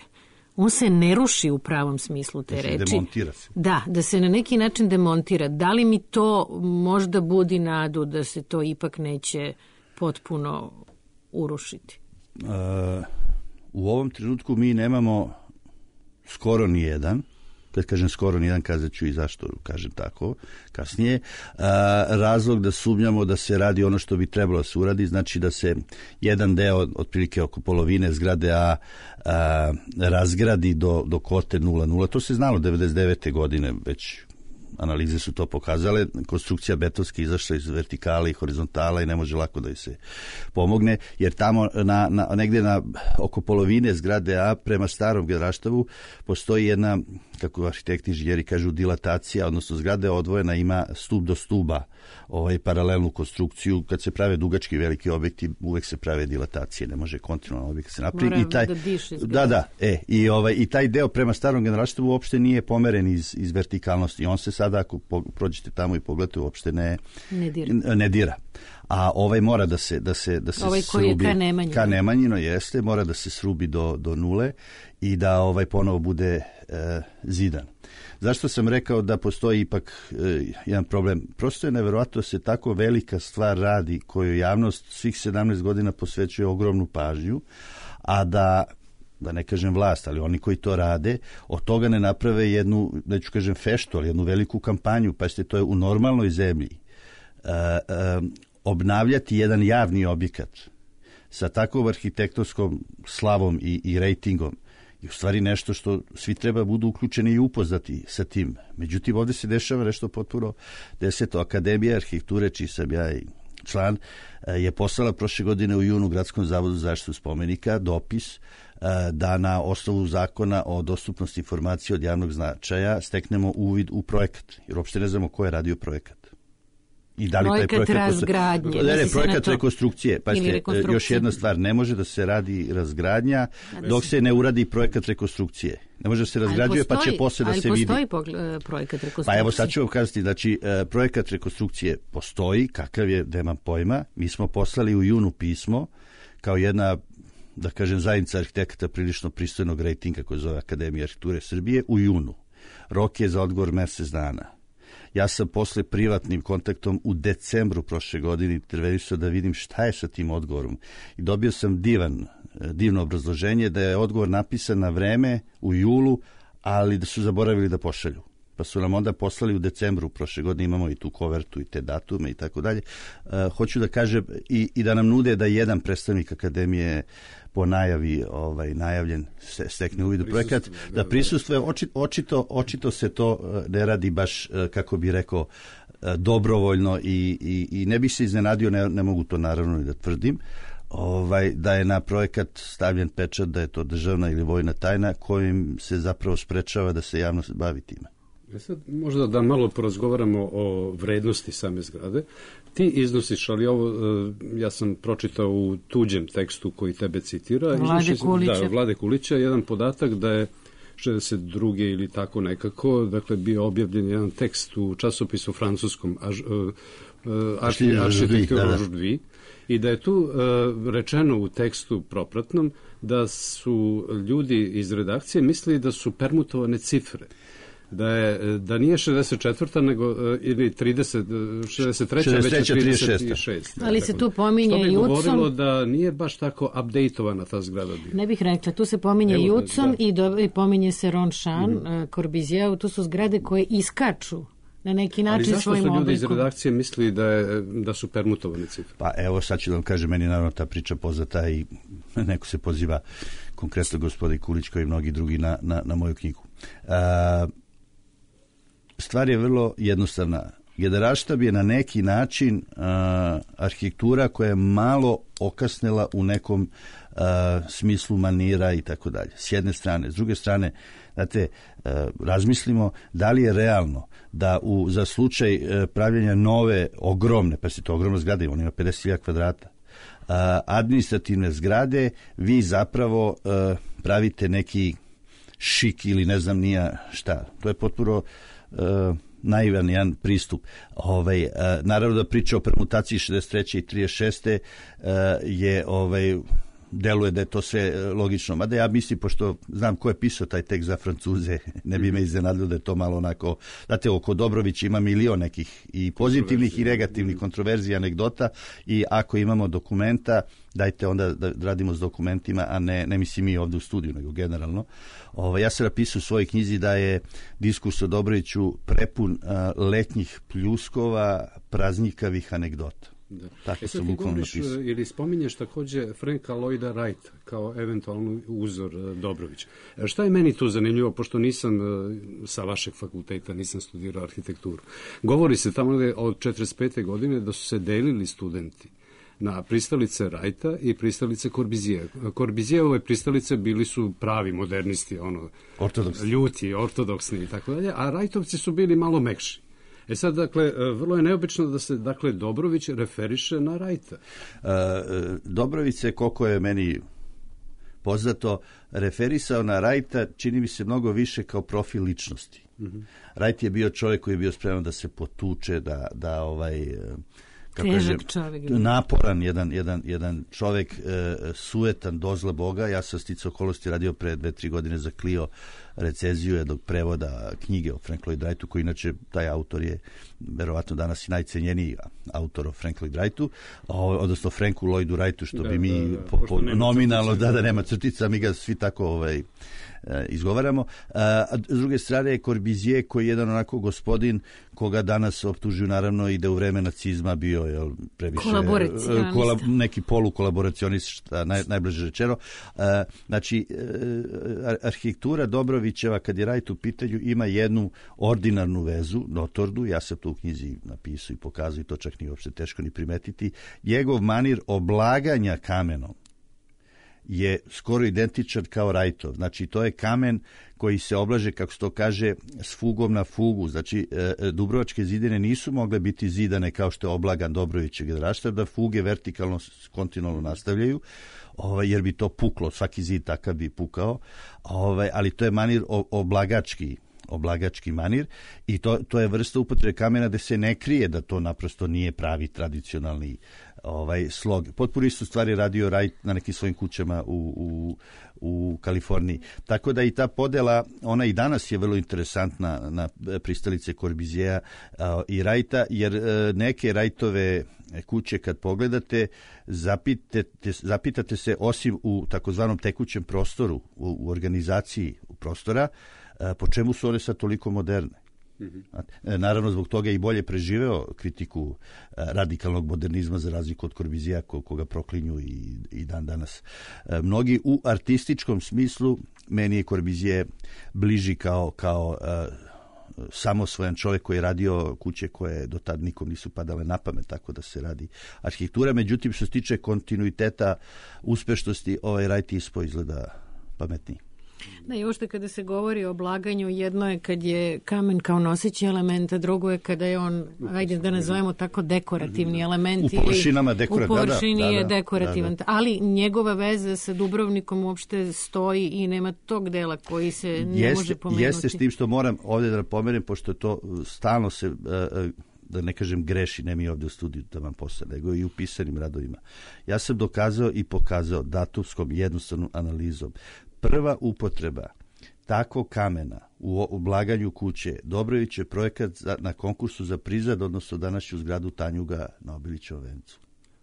On se ne ruši u pravom smislu te da se reči. Demontira se. Da, da se na neki način demontira. Da li mi to možda budi nadu da se to ipak neće potpuno urušiti? Uh, u ovom trenutku mi nemamo skoro ni jedan. Kad kažem skoro nijedan, kazat ću i zašto kažem tako kasnije. A, razlog da sumnjamo da se radi ono što bi trebalo da se uradi, znači da se jedan deo, otprilike oko polovine zgrade A, a razgradi do, do kote nula nula. To se znalo devedeset devete godine, već analize su to pokazale. Konstrukcija betonska izašla iz vertikala i horizontala i ne može lako da joj se pomogne, jer tamo na, na, negdje na oko polovine zgrade A prema starom Generalštabu postoji jedna, kako arhitekti inženjeri kažu, dilatacija, odnosno zgrada je odvojena, ima stup do stuba, ovaj, paralelnu konstrukciju. Kad se prave dugački veliki objekti, uvek se prave dilatacije, ne može kontinualno objekt se napravi. Moram I taj, da diše da, da, e, i, ovaj, i taj deo prema starom Generalštabu uopšte nije pomeren iz, iz vertikalnosti. On se sada, ako prođete tamo i pogledate, uopšte ne, ne dira. Ne dira. A ovaj mora da se da se da se ovaj koji srubi, je ka Nemanjino. Ka Nemanjino jeste, mora da se srubi do do nule i da ovaj ponovo bude e, zidan. Zašto sam rekao da postoji ipak e, jedan problem? Prosto je neverovatno da se tako velika stvar radi koju javnost svih sedamnaest godina posvećuje ogromnu pažnju, a da da ne kažem vlast, ali oni koji to rade, od toga ne naprave jednu, neću kažem feštu, ali jednu veliku kampanju. Pa ste, to je u normalnoj zemlji. E, e, obnavljati jedan javni objekat sa takvom arhitektonskom slavom i, i rejtingom je u stvari nešto što svi treba budu uključeni i upoznati sa tim. Međutim, ovdje se dešava nešto potpuno deseto. Akademija arhitekture, čiji sam ja i član, je poslala prošle godine u junu Gradskom zavodu za zaštitu spomenika dopis da na osnovu zakona o dostupnosti informacije od javnog značaja steknemo uvid u projekat, jer uopšte ne znamo ko je radio projekat. I da li projekat taj projekat razgradnje. Ne, ne, projekat rekonstrukcije. Pa ste, još jedna stvar, ne može da se radi razgradnja dok se ne uradi projekat rekonstrukcije. Ne može da se razgrađuje, postoji, pa će posle da se vidi. Ali postoji projekat rekonstrukcije? Pa evo sad ću vam kazati, znači projekat rekonstrukcije postoji, kakav je, nemam pojma. Mi smo poslali u junu pismo kao jedna, da kažem, zajednica arhitekata prilično pristojnog rejtinga koji zove Akademija arhitekture Srbije u junu. Rok je za odgovor mesec dana. Ja sam posle privatnim kontaktom u decembru prošle godine intervenisao da vidim šta je sa tim odgovorom. I dobio sam divan, divno obrazloženje da je odgovor napisan na vreme u julu, ali da su zaboravili da pošalju. Pa su nam onda poslali u decembru prošle godine, imamo i tu kovertu i te datume i tako dalje. Hoću da kažem i, i da nam nude da jedan predstavnik Akademije po najavi ovaj najavljen se stekne uvid u projekat, da prisustvuje. Očito, očito, očito se to ne radi baš, kako bi rekao, dobrovoljno i, i, i ne bih se iznenadio, ne, ne mogu to naravno i da tvrdim, ovaj, da je na projekat stavljen pečat da je to državna ili vojna tajna kojim se zapravo sprečava da se javnost bavi time. E sad, možda da malo porazgovaramo o vrednosti same zgrade. Ti iznosiš, ali ovo ja sam pročitao u tuđem tekstu koji tebe citira. Vlade Kulića. Da, Vlade Kulića, jedan podatak da je šezdeset druge ili tako nekako, dakle, bio objavljen jedan tekst u časopisu francuskom Architecture aujourd'hui i da je tu uh, rečeno u tekstu propratnom da su ljudi iz redakcije mislili da su permutovane cifre. Da, je, da nije šezdeset četvrta nego ili trideset, šezdeset treća već je trideset šesta. Ali se tu pominje Jucom. Jucom. To bi govorilo da nije baš tako updateovana ta zgrada bila. Ne bih rekla, tu se pominje Evo, Jucom da. i, do, i pominje se Ronchamp, mm-hmm. Corbusier, tu su zgrade koje iskaču na neki način svojim oblikom. Ali zašto su ljudi iz redakcije mislili da, je, da su permutovane cifre? Pa evo sad ću da vam kažem, meni naravno ta priča poznata i neko se poziva konkretno gospodin Kulić kao i mnogi drugi na, na, na moju knjigu. Uh, Stvar je vrlo jednostavna. Generalštab je na neki način uh, arhitektura koja je malo okasnela u nekom uh, smislu manira i tako dalje. S jedne strane. S druge strane, znate, uh, razmislimo da li je realno da u, za slučaj uh, pravljenja nove, ogromne, pa se to ogromna zgrada, on ima pedeset hiljada kvadrata, administrativne zgrade, vi zapravo pravite neki šik ili ne znam nija šta. To je potpuno naivan jedan pristup. Ovaj, naravno da priča o permutaciji šezdeset treće i trideset šeste je ovaj, deluje da je to sve logično. Mada ja mislim, pošto znam ko je pisao taj tekst za Francuze, ne bi me iznenadilo da je to malo onako, znate, oko Dobrovića ima milion nekih i pozitivnih i negativnih kontroverzija, anegdota, i ako imamo dokumenta, dajte onda da radimo s dokumentima, a ne, ne mislim mi ovdje u studiju, nego generalno. Ovo, ja sam napisao u svojoj knjizi da je diskurs o Dobroviću prepun a, letnjih pljuskova, praznikavih anegdota. Da. Tako e sad ti govoriš ili spominješ također Franka Lloyda Wrighta kao eventualno uzor Dobrovića. Šta je meni tu zanimljivo, pošto nisam sa vašeg fakulteta, nisam studirao arhitekturu. Govori se tamo od četrdeset pete godine da su se delili studenti na pristalice Wrighta i pristalice Corbusije. Corbusijeve pristalice bili su pravi modernisti, ono, ortodoksni. Ljuti, ortodoksni i tako dalje, a Wrightovci su bili malo mekši. E sad, dakle, vrlo je neobično da se, dakle, Dobrović referiše na Wrighta. Uh, Dobrović se, koliko je meni poznato, referisao na Wrighta, čini mi se mnogo više kao profil ličnosti. Mm-hmm. Wright je bio čovjek koji je bio spreman da se potuče, da, da ovaj... kako težak kažem, čovjek. Naporan jedan, jedan, jedan čovjek, e, sujetan, dozla Boga. Ja sam sticao okolnosti radio pre dve, tri godine za Clio recenziju jednog prevoda knjige o Frank Lloyd Wrightu, koji inače taj autor je verovatno danas i najcenjeniji autor o Frank Lloyd Wrightu, odnosno Franku Lloydu Wrightu, što da, bi mi da, da, po, po, nominalno, da, da nema crtica, mi ga svi tako ovaj, izgovaramo. A s druge strane je Corbusier, koji je jedan onako gospodin koga danas optužuju naravno i da u vreme nacizma bio jel, previše kola, neki polukolaboracionista, naj, najbliže rečeno. A, znači, arhitektura Dobrovićeva, kad je Wright u pitanju, ima jednu ordinarnu vezu, notornu, ja sam to u knjizi napisao i pokazao i to čak nije uopšte teško ni primetiti. Njegov manir oblaganja kamenom je skoro identičan kao Wrightov. Znači, to je kamen koji se oblaže, kako se to kaže, s fugom na fugu. Znači, e, Dubrovačke zidine nisu mogle biti zidane kao što je oblagan Dobrovićev generalštab, da fuge vertikalno, kontinualno nastavljaju, ovaj, jer bi to puklo, svaki zid takav bi pukao, ovaj, ali to je manir oblagački, oblagački manir i to, to je vrsta upotrebe kamena da se ne krije da to naprosto nije pravi tradicionalni ovaj slog. Potpuno istu stvar je radio Wright na nekim svojim kućama u, u, u Kaliforniji. Tako da i ta podela, ona i danas je vrlo interesantna na pristalice Corbusiera i Wrighta, jer neke Wrightove kuće kad pogledate, zapitate, zapitate se, osim u takozvanom tekućem prostoru, u, u organizaciji prostora, po čemu su one sad toliko moderne. Mm-hmm. Naravno, zbog toga je i bolje preživeo kritiku radikalnog modernizma za razliku od Corbusiera koga proklinju i, i dan danas. Mnogi u artističkom smislu, meni je Corbusier bliži kao, kao uh, samosvojan čovjek koji je radio kuće koje do tad nikom nisu padale na pamet, tako da se radi arhitektura. Međutim, što se tiče kontinuiteta uspešnosti, ovaj Wright ispo izgleda pametniji. Da, i uopšte kada se govori o oblaganju, jedno je kad je kamen kao noseći element, a drugo je kada je on, ajde da nazovemo tako, dekorativni element. U površinama dekorativan. U površini da, da, je dekorativan, da, da. ali njegova veza sa Dubrovnikom uopšte stoji i nema tog dela koji se ne jeste, može pomenuti. Jeste, s tim što moram ovdje da napomenem, pošto to stalno se, da ne kažem greši, ne mi ovdje u studiju da vam posle, nego i u pisanim radovima. Ja sam dokazao i pokazao datumskom jednostavnom analizom. Prva upotreba takvog kamena u oblaganju kuće Dobrović je projekat za, na konkursu za prizad, odnosno današnju zgradu Tanjuga na Obilićevom vencu.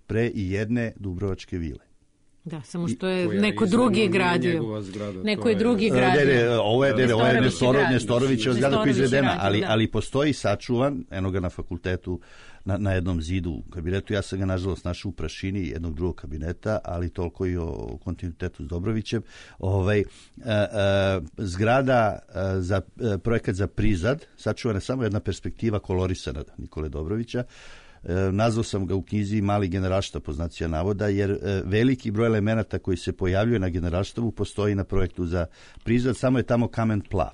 Pre i jedne Dubrovačke vile. Da, samo što je neko drugi gradio. Zgrada, neko je drugi je, gradio. Ne, ne, ovo je, ne, ovo je Nestoro, Nestorovićeva zgrada koja je izvedena, ali, da. ali postoji sačuvan, eno ga na fakultetu, na, na jednom zidu u kabinetu. Ja sam ga, nažalost, našao u prašini jednog drugog kabineta, ali toliko i o kontinuitetu s Dobrovićem. Ovaj, a, a, zgrada a, za a, projekat za prizad, sačuvana je samo jedna perspektiva kolorisana Nikole Dobrovića. E, nazvao sam ga u knjizi Mali generalštab, po znacima navoda, jer e, veliki broj elemenata koji se pojavljuje na generalštabu postoji na projektu za prizad, samo je tamo kamen plav.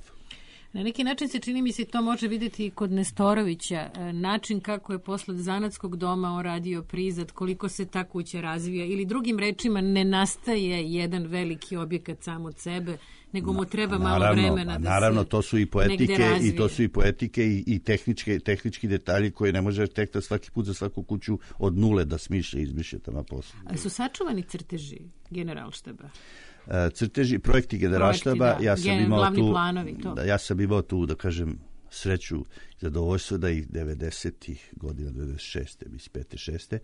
Na neki način se čini mi se to može vidjeti i kod Nestorovića, način kako je posle zanatskog doma on radio prizad, koliko se ta kuća razvija ili drugim rečima ne nastaje jedan veliki objekat sam od sebe, nego mu treba malo naravno, vremena da naravno, se to su i poetike i to su i poetike i, i tehničke, tehnički detalji koje ne može arhitekta svaki put za svaku kuću od nule da smišlja i izmišlja tamo posle. A su sačuvani crteži Generalštaba? Crteži, projekti Generalštaba, Projekti, da. ja sam Gen, imao tu planovi, to. Da, ja sam imao tu, da kažem, sreću i zadovoljstvo da ih devedesetih godina, devedeset šeste, mislim pete šeste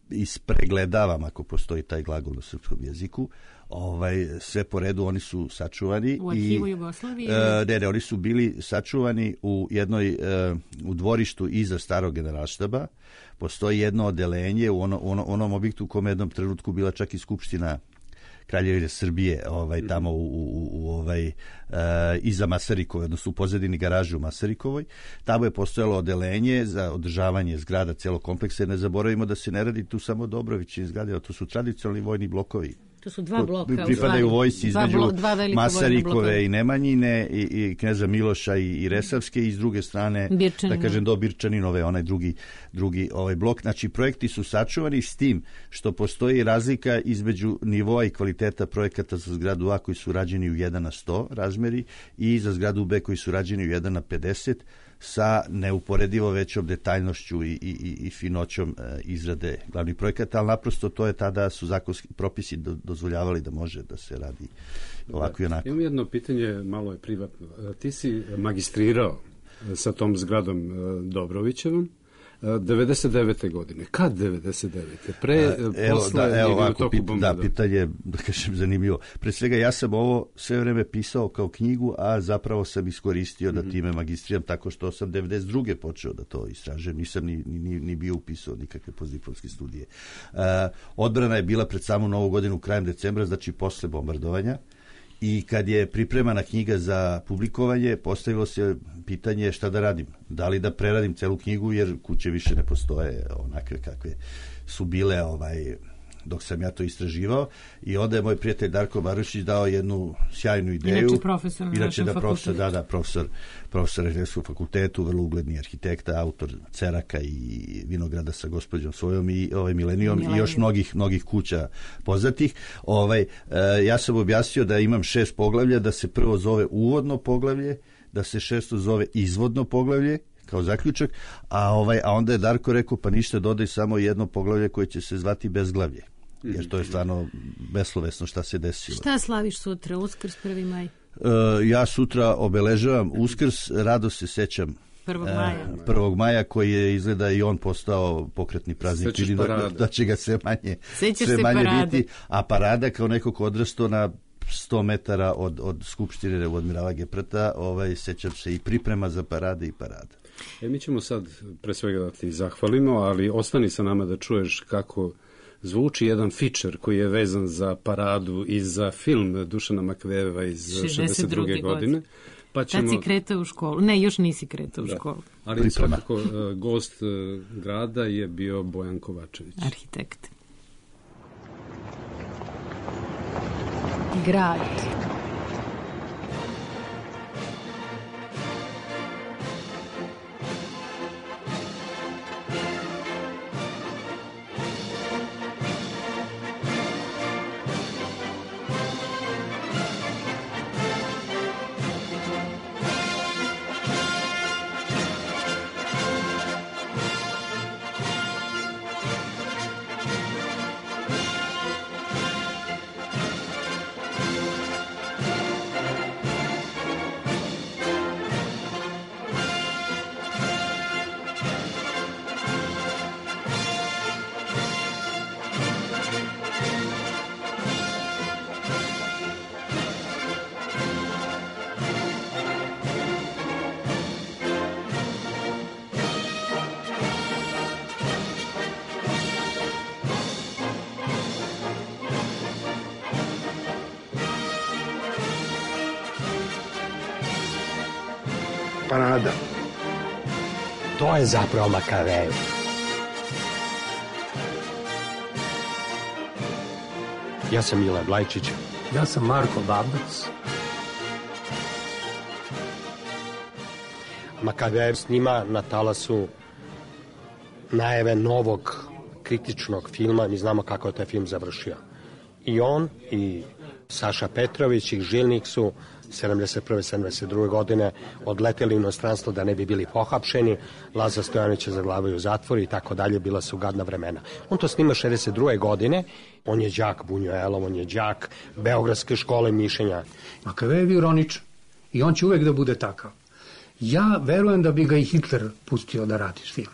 ispregledavam, ako postoji taj glagol na srpskom jeziku, ovaj, sve po redu oni su sačuvani. U arhivu i, Jugoslavije? E, ne, ne, oni su bili sačuvani u jednoj, e, u dvorištu iza starog Generalštaba. Postoji jedno odelenje u ono, ono, onom objektu u kome jednom trenutku bila čak i Skupština Kraljevine Srbije, ovaj, tamo u, u, u ovaj, e, iza Masarikove, odnosno u pozadini garaže u Masarikovoj. Tamo je postojalo odelenje za održavanje zgrada celog kompleksa. Ne zaboravimo da se ne radi tu samo Dobrovićin zgrade, to su tradicionalni vojni blokovi. To su dva bloka. Pripadaju vojsci između dva, dva Masarikove i Nemanjine i, i kneza Miloša i, i Resavske i s druge strane, Birčanina. da kažem, do Birčaninove, onaj drugi, drugi ovaj blok. Znači, projekti su sačuvani s tim što postoji razlika između nivoa i kvaliteta projekata za zgradu A koji su rađeni u jedan na sto razmeri i za zgradu B koji su rađeni u jedan na pedeset sa neuporedivo većom detaljnošću i, i, i finoćom e, izrade glavnih projekata, ali naprosto to je tada su zakonski propisi do, dozvoljavali da može da se radi ovako i onako. Imam jedno pitanje, malo je privatno. Ti si magistrirao sa tom zgradom Dobrovićevom devedeset devete godine. Kad devedeset devete? Pre, evo, posle, da, evo ovako, pit, bomba, da, pitanje, da kažem, zanimljivo. Pre svega, ja sam ovo sve vreme pisao kao knjigu, a zapravo sam iskoristio mm-hmm. da time magistriram, tako što sam devedeset druge počeo da to istražujem. Nisam ni, ni, ni bio upisao nikakve postdiplomske studije. Uh, odbrana je bila pred samu novu godinu krajem decembra, znači posle bombardovanja. I kad je pripremana knjiga za publikovanje, postavilo se pitanje šta da radim. Da li da preradim celu knjigu, jer kuće više ne postoje onakve kakve su bile ovaj, dok sam ja to istraživao. I onda je moj prijatelj Darko Barušić dao jednu sjajnu ideju. Inače profesor na Inače našem da profesor, fakultetu. da, da, profesor, profesor arhitektskog fakultetu, vrlo ugledni arhitekta, autor Ceraka i Vinograda sa gospođom svojom i ovaj Milenijom i još mnogih, mnogih kuća poznatih. Ovaj, e, ja sam objasnio da imam šest poglavlja, da se prvo zove uvodno poglavlje, da se šesto zove izvodno poglavlje, kao zaključak, a, ovaj, a onda je Darko rekao, pa ništa, dodaj samo jedno poglavlje koje će se zvati bezglavlje. Jer to je stvarno beslovesno šta se desilo. Šta slaviš sutra, Uskrs, prvi maj? Uh, ja sutra obeležavam Uskrs, rado se sećam prvog maja. Uh, prvog maja koji je izgleda i on postao pokretni praznik. Ili da, da će ga sve manje, sve manje biti. A parada kao neko ko odrastao na sto metara od, od Skupštine od Admirala Geprata, ovaj, sećam se i priprema za parade i parada. E, mi ćemo sad pre svega da ti zahvalimo, ali ostani sa nama da čuješ kako zvuči jedan feature koji je vezan za paradu i za film Dušana Makveva iz šezdeset druge godine. Pa ćemo... Tad si kretao u školu. Ne, još nisi kretao u da. školu. Ali Priprema. Svakako uh, gost uh, grada je bio Bojan Kovačević. Arhitekt. Grad. Parada. To je zapravo Makavejev. Ja sam Mile Blajčić. Ja sam Marko Babac. Makavejev snima na talasu najave novog kritičnog filma. Mi znamo kako je taj film završio. I on i Saša Petrović i Žilnik su sedamdeset prve sedamdeset druge godine odleteli u inostranstvo da ne bi bili pohapšeni. Laza Stojanović je zaglavio u zatvoru i tako dalje. Bila su gadna vremena. On to snima šezdeset druge godine. On je đak Bunjuelov, on je đak Beogradske škole mišljenja. Makavejev je ironičan i on će uvek da bude takav. Ja verujem da bi ga i Hitler pustio da radi film.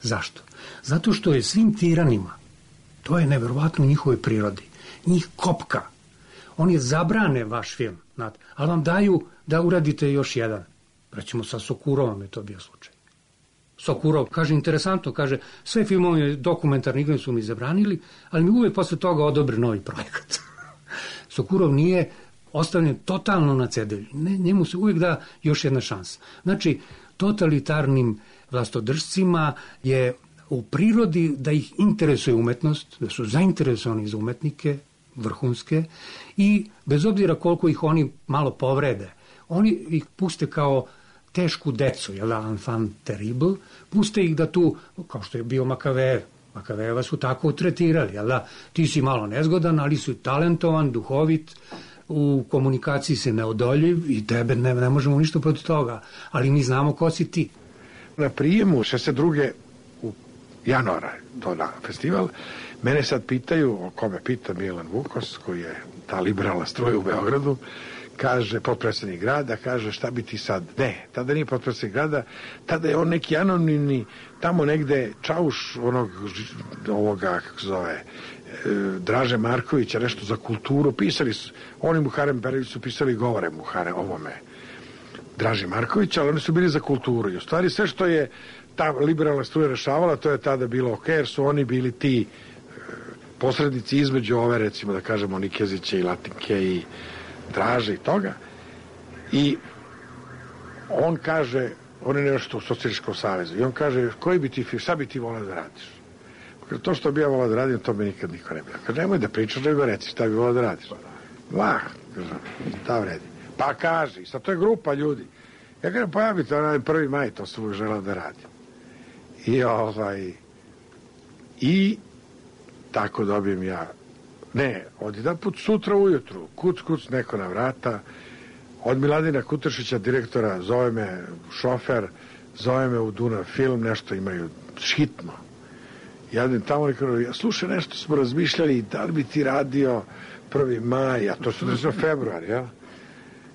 Zašto? Zato što je svim tiranima, to je neverovatno u njihovoj prirodi, njih kopka. Oni zabrane vaš film, znate, ali vam daju da uradite još jedan. Recimo sa Sokurovom je to bio slučaj. Sokurov, kaže, interesantno, kaže, sve filmove dokumentarni igre su mi zabranili, ali mi uvek posle toga odobre novi projekat. Sokurov nije ostavljen totalno na cedilju. Ne, njemu se uvijek da još jedna šansa. Znači, totalitarnim vlastodržcima je u prirodi da ih interesuje umetnost, da su zainteresovani za umetnike, vrhunske, i bez obzira koliko ih oni malo povrede, oni ih puste kao tešku decu, jel da, enfant terrible, puste ih da tu, kao što je bio Makavejev, Makavejeva su tako tretirali, jel da, ti si malo nezgodan, ali si talentovan, duhovit, u komunikaciji se neodoljiv i tebe ne, ne možemo ništa protiv toga, ali mi znamo ko si ti. Na prijemu šezdeset druge u januara to na festival, mene sad pitaju, o kome pita Milan Vukos, koji je ta liberalna struja u Beogradu, kaže, potpredsjednik grada, kaže, šta bi ti sad? Ne, tada nije potpredsjednik grada, tada je on neki anonimni, tamo negde čauš onog, ovoga, kako zove, Draže Markovića, nešto za kulturu, pisali su, oni Muharem Berević su pisali govore Muhare ovome Draže Markovića, ali oni su bili za kulturu i u stvari sve što je ta liberalna struja rešavala, to je tada bilo ok, jer su oni bili ti posrednici između ove, recimo da kažemo, Nikezića i Latinke i Draže i toga, i on kaže, on je nešto u Socijalističkom savezu, i on kaže, koji bi ti, šta bi ti volao da radiš? To što bi ja volao da radim, to mi nikad niko ne bi. Kaže, nemoj da pričaš, nego reci šta bi volao da radiš. Vah, kaže, šta vredi. Pa kaži, sad to je grupa ljudi. Ja kažem, pa ja bi to radim prvi maj, to sam uvijek želao da radim. I ovaj, i tako dobijem ja, ne, od jedan put sutra ujutru, kuc, kuc, neko na vrata, od Miladina Kutršića, direktora, zove me šofer, zove me u Dunav film, nešto imaju hitno. Ja idem tamo i kažem, slušaj, nešto smo razmišljali, da li bi ti radio prvi maj, a to su desilo februar, ja?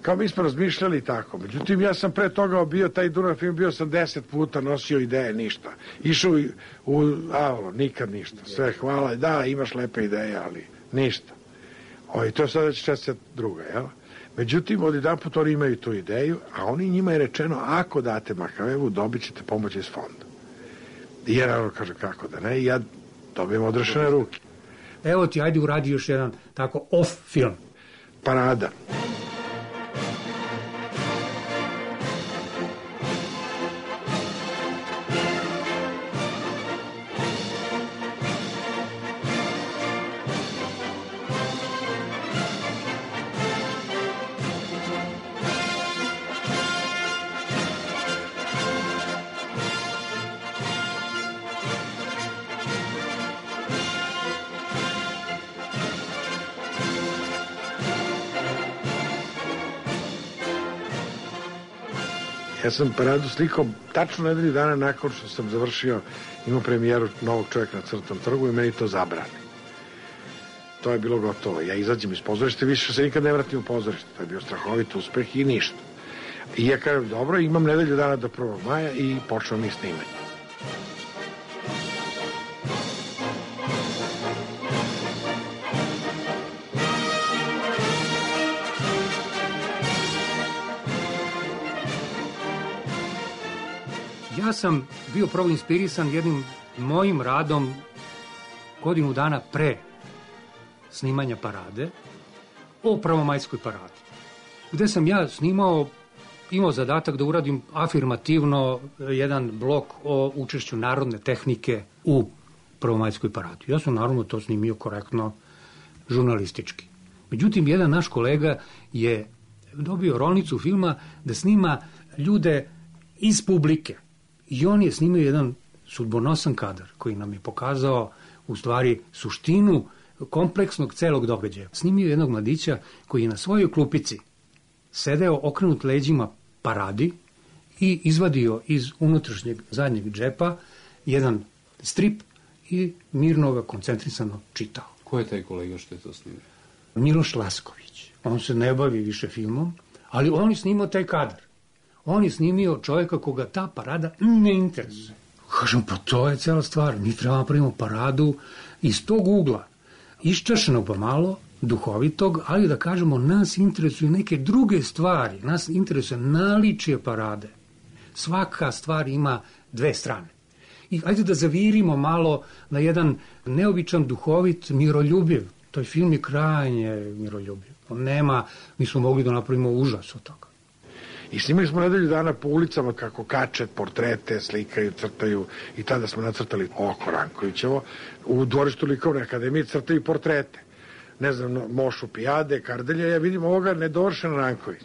Kao mi smo razmišljali tako. Međutim, ja sam pre toga bio, taj Dunav film, bio sam deset puta, nosio ideje, ništa. Išao u, u Avlo, nikad ništa. Sve, hvala, da, imaš lepe ideje, ali ništa. O, i to je sada šezdeset druga, jel? Međutim, od jedan put oni imaju tu ideju, a oni njima je rečeno, ako date Makavejevu, dobit ćete pomoć iz fonda. I ja naravno kaže, kako da ne, i ja dobijem odrešene ruke. Evo ti, ajde uradi još jedan tako off film. Parada. Ja sam paradu slikao tačno nedelju dana nakon što sam završio, imao premijeru Novog čovjeka na Crnom trgu i meni to zabrani. To je bilo gotovo. Ja izađem iz pozorišta, više se nikad ne vratim u pozorište. To je bio strahovit uspeh i ništa. I ja kažem, dobro, imam nedelju dana do prvog maja i počeo mi snimanje. Ja sam bio prvo inspirisan jednim mojim radom godinu dana pre snimanja parade o prvomajskoj paradi, gde sam ja snimao, imao zadatak da uradim afirmativno jedan blok o učešću narodne tehnike u prvomajskoj paradi. Ja sam naravno to snimio korektno žurnalistički. Međutim, jedan naš kolega je dobio rolnicu filma da snima ljude iz publike. I on je snimio jedan sudbonosan kadar koji nam je pokazao u stvari suštinu kompleksnog celog događaja. Snimio jednog mladića koji je na svojoj klupici sedeo okrenut leđima paradi i izvadio iz unutrašnjeg zadnjeg džepa jedan strip i mirno ga koncentrisano čitao. Ko je taj kolega što je to snimio? Miloš Lasković. On se ne bavi više filmom, ali on je snimao taj kadar. On je snimio čovjeka koga ta parada ne interesuje. Kažem, pa to je cela stvar. Mi trebamo napravimo paradu iz tog ugla. Iščašenog pa malo, duhovitog, ali da kažemo, nas interesuju neke druge stvari. Nas interesuje naličje parade. Svaka stvar ima dve strane. I ajde da zavirimo malo na jedan neobičan, duhovit, miroljubiv. Taj film je krajnje miroljubiv. On nema, mi smo mogli da napravimo užas od toga. I snimali smo nedelju dana po ulicama kako kače portrete, slikaju, crtaju i tada smo nacrtali oko Rankovićevo. U dvorištu Likovne akademije crtaju portrete. Ne znam, Mošu Pijade, Kardelja, ja vidim ovoga nedovršen Ranković.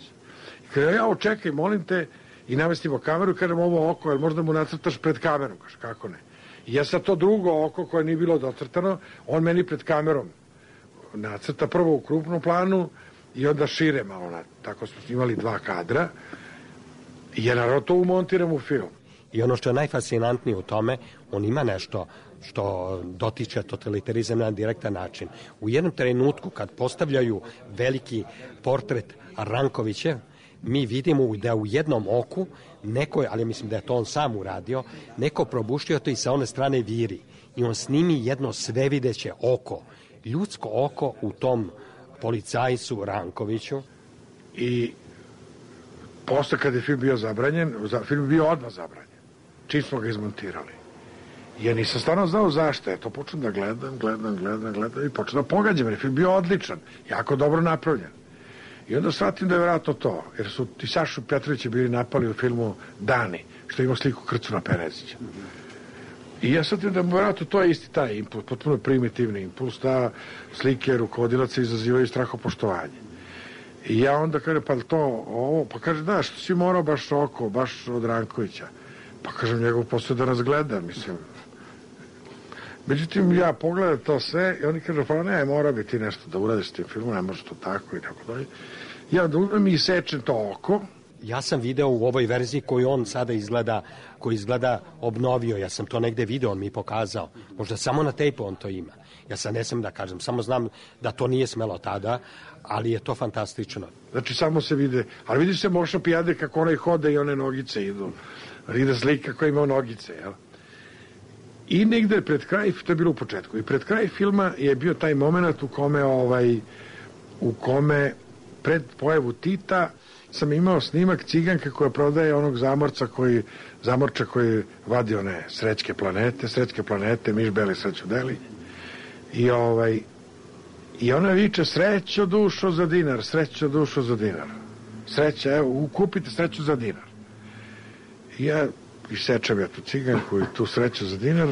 I kada ja očekaj, molim te, i namestimo kameru, kažem ovo oko, jel možda mu nacrtaš pred kamerom? Kaže, kako ne? I ja sad to drugo oko koje nije bilo docrtano, on meni pred kamerom nacrta prvo u krupnom planu i onda šire malo. Na, tako smo snimali dva kadra i ja naravno to umontiram u film. I ono što je najfascinantnije u tome, on ima nešto što dotiče totalitarizam na direktan način. U jednom trenutku kad postavljaju veliki portret Rankovića, mi vidimo da u jednom oku neko, ali mislim da je to on sam uradio, neko probuštio to i sa one strane viri. I on snimi jedno svevideće oko, ljudsko oko u tom policajcu Rankoviću. I posle kad je film bio zabranjen, film je bio odmah zabranjen. Čim smo ga izmontirali. Ja nisam stvarno znao zašto. Ja to počnem da gledam, gledam, gledam, gledam i počnem da pogađam, jer je film bio odličan, jako dobro napravljen. I onda shvatim da je vjerojatno to, jer su ti Sašu Petrovića bili napali u filmu Dani, što ima sliku Krcuna Perezića. I ja shvatim da vjerojatno to je isti taj impuls, potpuno primitivni impuls, da slike rukovodilaca izazivaju strahopoštovanje. I ja onda kažem, pa to, ovo, pa kaže, da, što si morao baš oko, baš od Rankovića. Pa kažem, njegov posao da nas gleda, mislim. Međutim, ja pogledam to sve i oni kažu, pa ne, mora bi ti nešto da uradiš s tim filmom, ne može to tako i tako dalje. Ja da uzmem i sečem to oko. Ja sam video u ovoj verziji koju on sada izgleda, koji izgleda obnovio, ja sam to negde video, on mi pokazao. Možda samo na tejpu on to ima. Ja sad ne sam da kažem, samo znam da to nije smelo tada, ali je to fantastično. Znači, samo se vide, ali vidi se Moša Pijade kako onaj hode i one nogice idu. Ide slika koja ima nogice, jel? I negde pred kraj, to je bilo u početku, i pred kraj filma je bio taj moment u kome, ovaj, u kome pred pojavu Tita sam imao snimak ciganke koja prodaje onog zamorca koji, zamorča koji vadi one srećke planete, srećke planete, miš beli, sreću deli. I ovaj, i ona viče, srećo dušo za dinar, srećo dušo za dinar. Sreća, evo, kupite sreću za dinar. I ja isečem ja tu ciganku i tu sreću za dinar.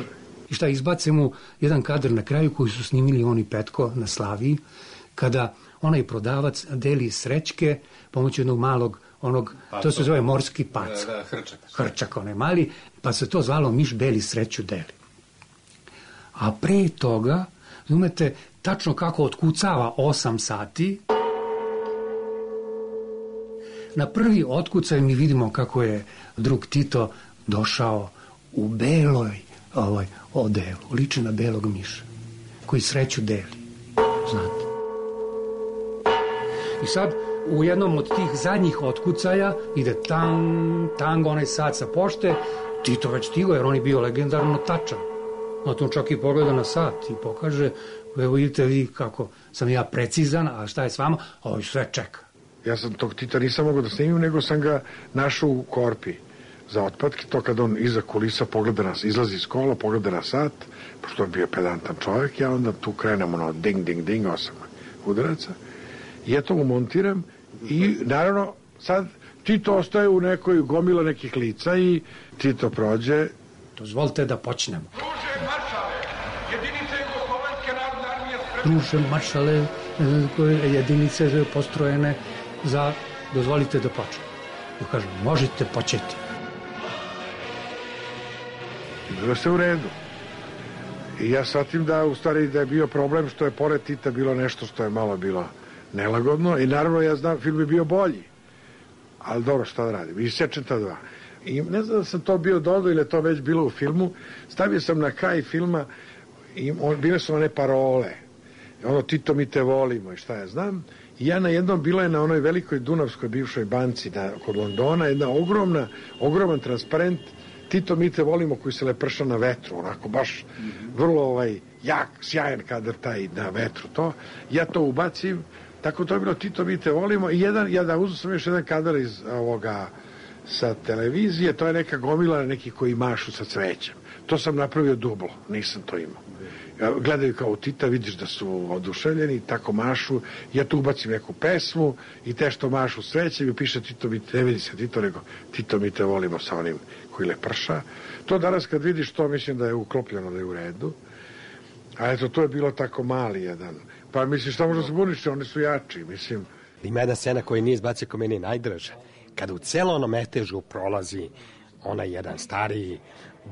I šta, izbace mu jedan kadar na kraju koji su snimili on i Petko na Slaviji, kada onaj prodavac deli srećke pomoću jednog malog, onog, Paco. To se zove morski pac. Da, da, hrčak. Hrčak, onaj mali, pa se to zvalo miš beli sreću deli. A pre toga, znate, tačno kako otkucava osam sati, na prvi otkucaj mi vidimo kako je drug Tito došao u beloj ovaj, odelu, liči na belog miša, koji sreću deli, znate. I sad, u jednom od tih zadnjih otkucaja ide tang, tang, onaj sat sa pošte, Tito već stigo, jer on je bio legendarno tačan. No, to čak i pogleda na sat i pokaže, evo vidite vi kako sam ja precizan, a šta je s vama? Ovo sve čeka. Ja sam tog Tita nisam mogao da snimim, nego sam ga našao u korpi za otpadke, to kad on iza kulisa pogleda nas, izlazi iz kola, pogleda na sat, pošto on bio pedantan čovjek, ja onda tu krenem ono ding, ding, ding, osam udaraca, i ja to umontiram i naravno sad Tito ostaje u nekoj gomila nekih lica i Tito prođe. Dozvolite da počnemo. Druže maršale, jedinice Jugoslovenske narodne armije... Druže maršale, jedinice postrojene za... Dozvolite da počnemo. Ja kažem, možete početi. I bilo se u redu. I ja shvatim da u stvari da je bio problem što je pored Tita bilo nešto što je malo bilo nelagodno i naravno ja znam film je bio bolji. Ali dobro, šta da radim? I sečem ta dva. I ne znam da sam to bio dodao ili je to već bilo u filmu. Stavio sam na kraj filma i on, bile su one parole. Ono, Tito, mi te volimo i šta ja znam. I ja na jednom, bila je na onoj velikoj Dunavskoj bivšoj banci na, kod Londona, jedna ogromna, ogroman transparent Tito, mi te volimo, koji se leprša na vetru, onako baš vrlo ovaj, jak, sjajan kadar taj na vetru. To. Ja to ubacim, tako to je bilo Tito, mi te volimo. I jedan, ja da uzem sam još jedan kadar iz ovoga sa televizije, to je neka gomila neki koji mašu sa cvećem. To sam napravio dublo, nisam to imao. Gledaju kao Tita, vidiš da su oduševljeni, tako mašu, ja tu ubacim neku pesmu i te što mašu sreće i piše Tito, mi te, ne vidi se Tito, nego Tito, mi te volimo sa onim koji leprša. To danas kad vidiš to, mislim da je uklopljeno, da je u redu. A eto, to je bilo tako mali jedan. Pa mislim, šta možda se buniš, oni su jači, mislim. Ima jedna scena koja nije izbacio ko meni najdraža. Kada u celo ono metežu prolazi onaj jedan stariji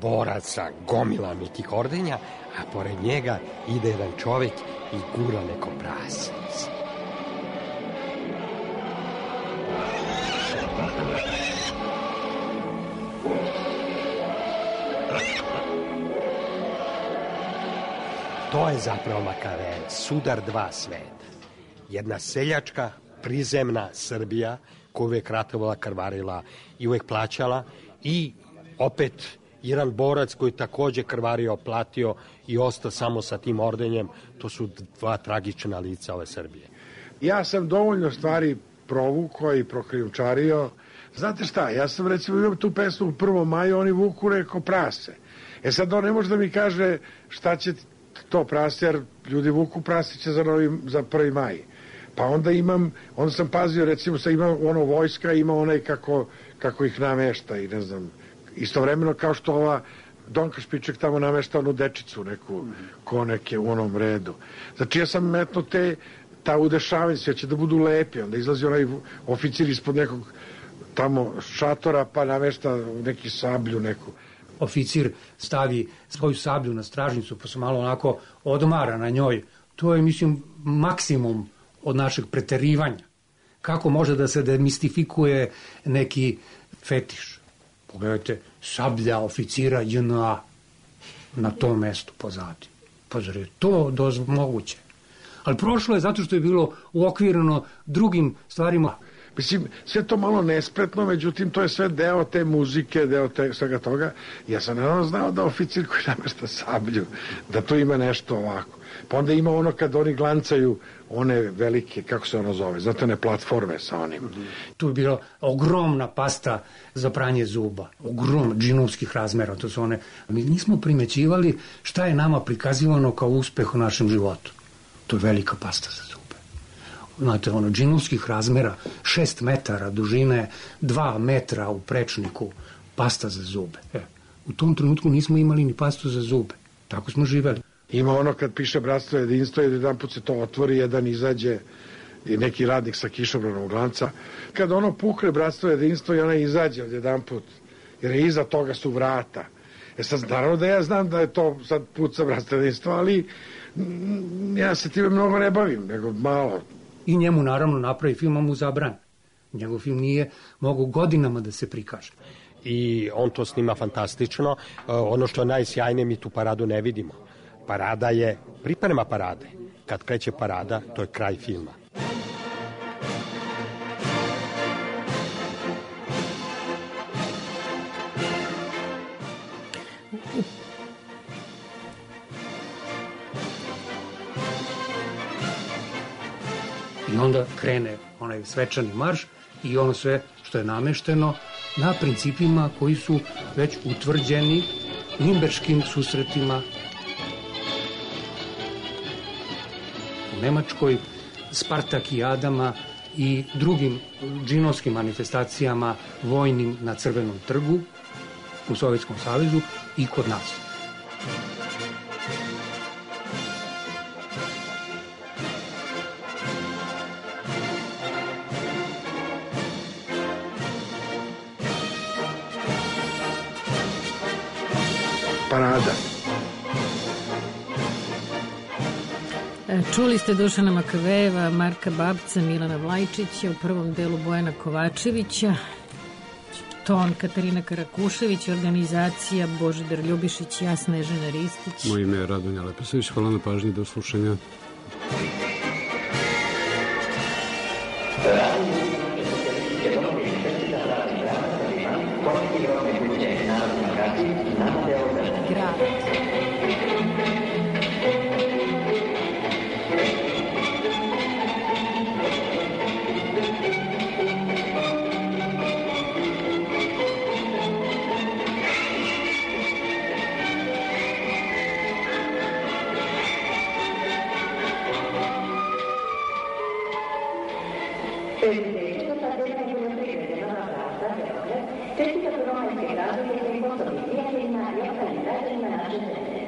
borac sa gomilama tih ordenja, a pored njega ide jedan čovjek i gura neko prase. To je zapravo Makaveli, sudar dva sveta. Jedna seljačka, prizemna Srbija, koja uvijek ratovala, krvarila i uvijek plaćala, i opet jedan borac koji također krvario, platio i ostao samo sa tim ordenjem. To su dva tragična lica ove Srbije. Ja sam dovoljno stvari provukao i prokrijumčario. Znate šta, ja sam recimo imam tu pesmu u prvom maju, oni vuku reko prase. E sad on ne može da mi kaže šta će to prase, jer ljudi vuku prasiće za, novi, za prvi maj. Pa onda imam, onda sam pazio, recimo, sa ima ono vojska, ima onaj kako, kako ih namešta i ne znam, istovremeno kao što ova Donka Špiček tamo namešta onu dečicu neku, ko neke u onom redu. Znači ja sam metno te, ta udešavanja, sve će da budu lepi, onda izlazi onaj oficir ispod nekog tamo šatora, pa namešta neki sablju neku. Oficir stavi svoju sablju na stražnicu, pa se malo onako odmara na njoj. To je, mislim, maksimum od našeg preterivanja. Kako može da se demistifikuje neki fetiš? Pogledajte, sablja oficira J N A na tom mestu pozadi. Pa zar je to doz moguće? Ali prošlo je zato što je bilo uokvireno drugim stvarima. Mislim, sve to malo nespretno, međutim, to je sve deo te muzike, deo te, svega toga. Ja sam naravno znao da oficir koji namešta sablju, da to ima nešto ovako. Pa onda ima ono kad oni glancaju one velike, kako se ono zove, znate, one platforme sa onim. Tu je bila ogromna pasta za pranje zuba, ogromna, džinovskih razmera, to su one. Mi nismo primećivali šta je nama prikazivano kao uspeh u našem životu. To je velika pasta za zube. Znate, ono, džinovskih razmera, šest metara dužine, dva metra u prečniku, pasta za zube. E, u tom trenutku nismo imali ni pastu za zube. Tako smo živeli. Ima ono kad piše bratstvo jedinstvo i jedan put se to otvori, jedan izađe i neki radnik sa kišobranom glanca. Kad ono pukne bratstvo jedinstvo i ona izađe od jedan put, jer je iza toga su vrata. E sad, naravno da ja znam da je to sad put sa bratstvo jedinstvo, ali mm, ja se time mnogo ne bavim, nego malo. I njemu naravno napravi film, a mu zabran. Njegov film nije mogu godinama da se prikaže. I on to snima fantastično. Ono što je najsjajnije, mi tu paradu ne vidimo. Parada je priprema parade. Kad kreće parada, to je kraj filma. I onda krene onaj svečani marš i ono sve što je namešteno na principima koji su već utvrđeni Nimberškim susretima u Nemačkoj, Spartakijadama i drugim džinovskim manifestacijama vojnim na Crvenom trgu u Sovjetskom savezu i kod nas. parada. Čuli ste Dušana Makavejeva, Marka Babca, Milana Vlajčića, u prvom delu Bojana Kovačevića, ton Katarina Karakušević, organizacija Božidar Ljubišić, Jasna Ježena Ristić. Moje ime je Radonja Leposavić, hvala na pažnji, do slušanja. Grad. Čestita prvomajske gradovi i poslovni prijateljima i ostalim građanima naše zemlje.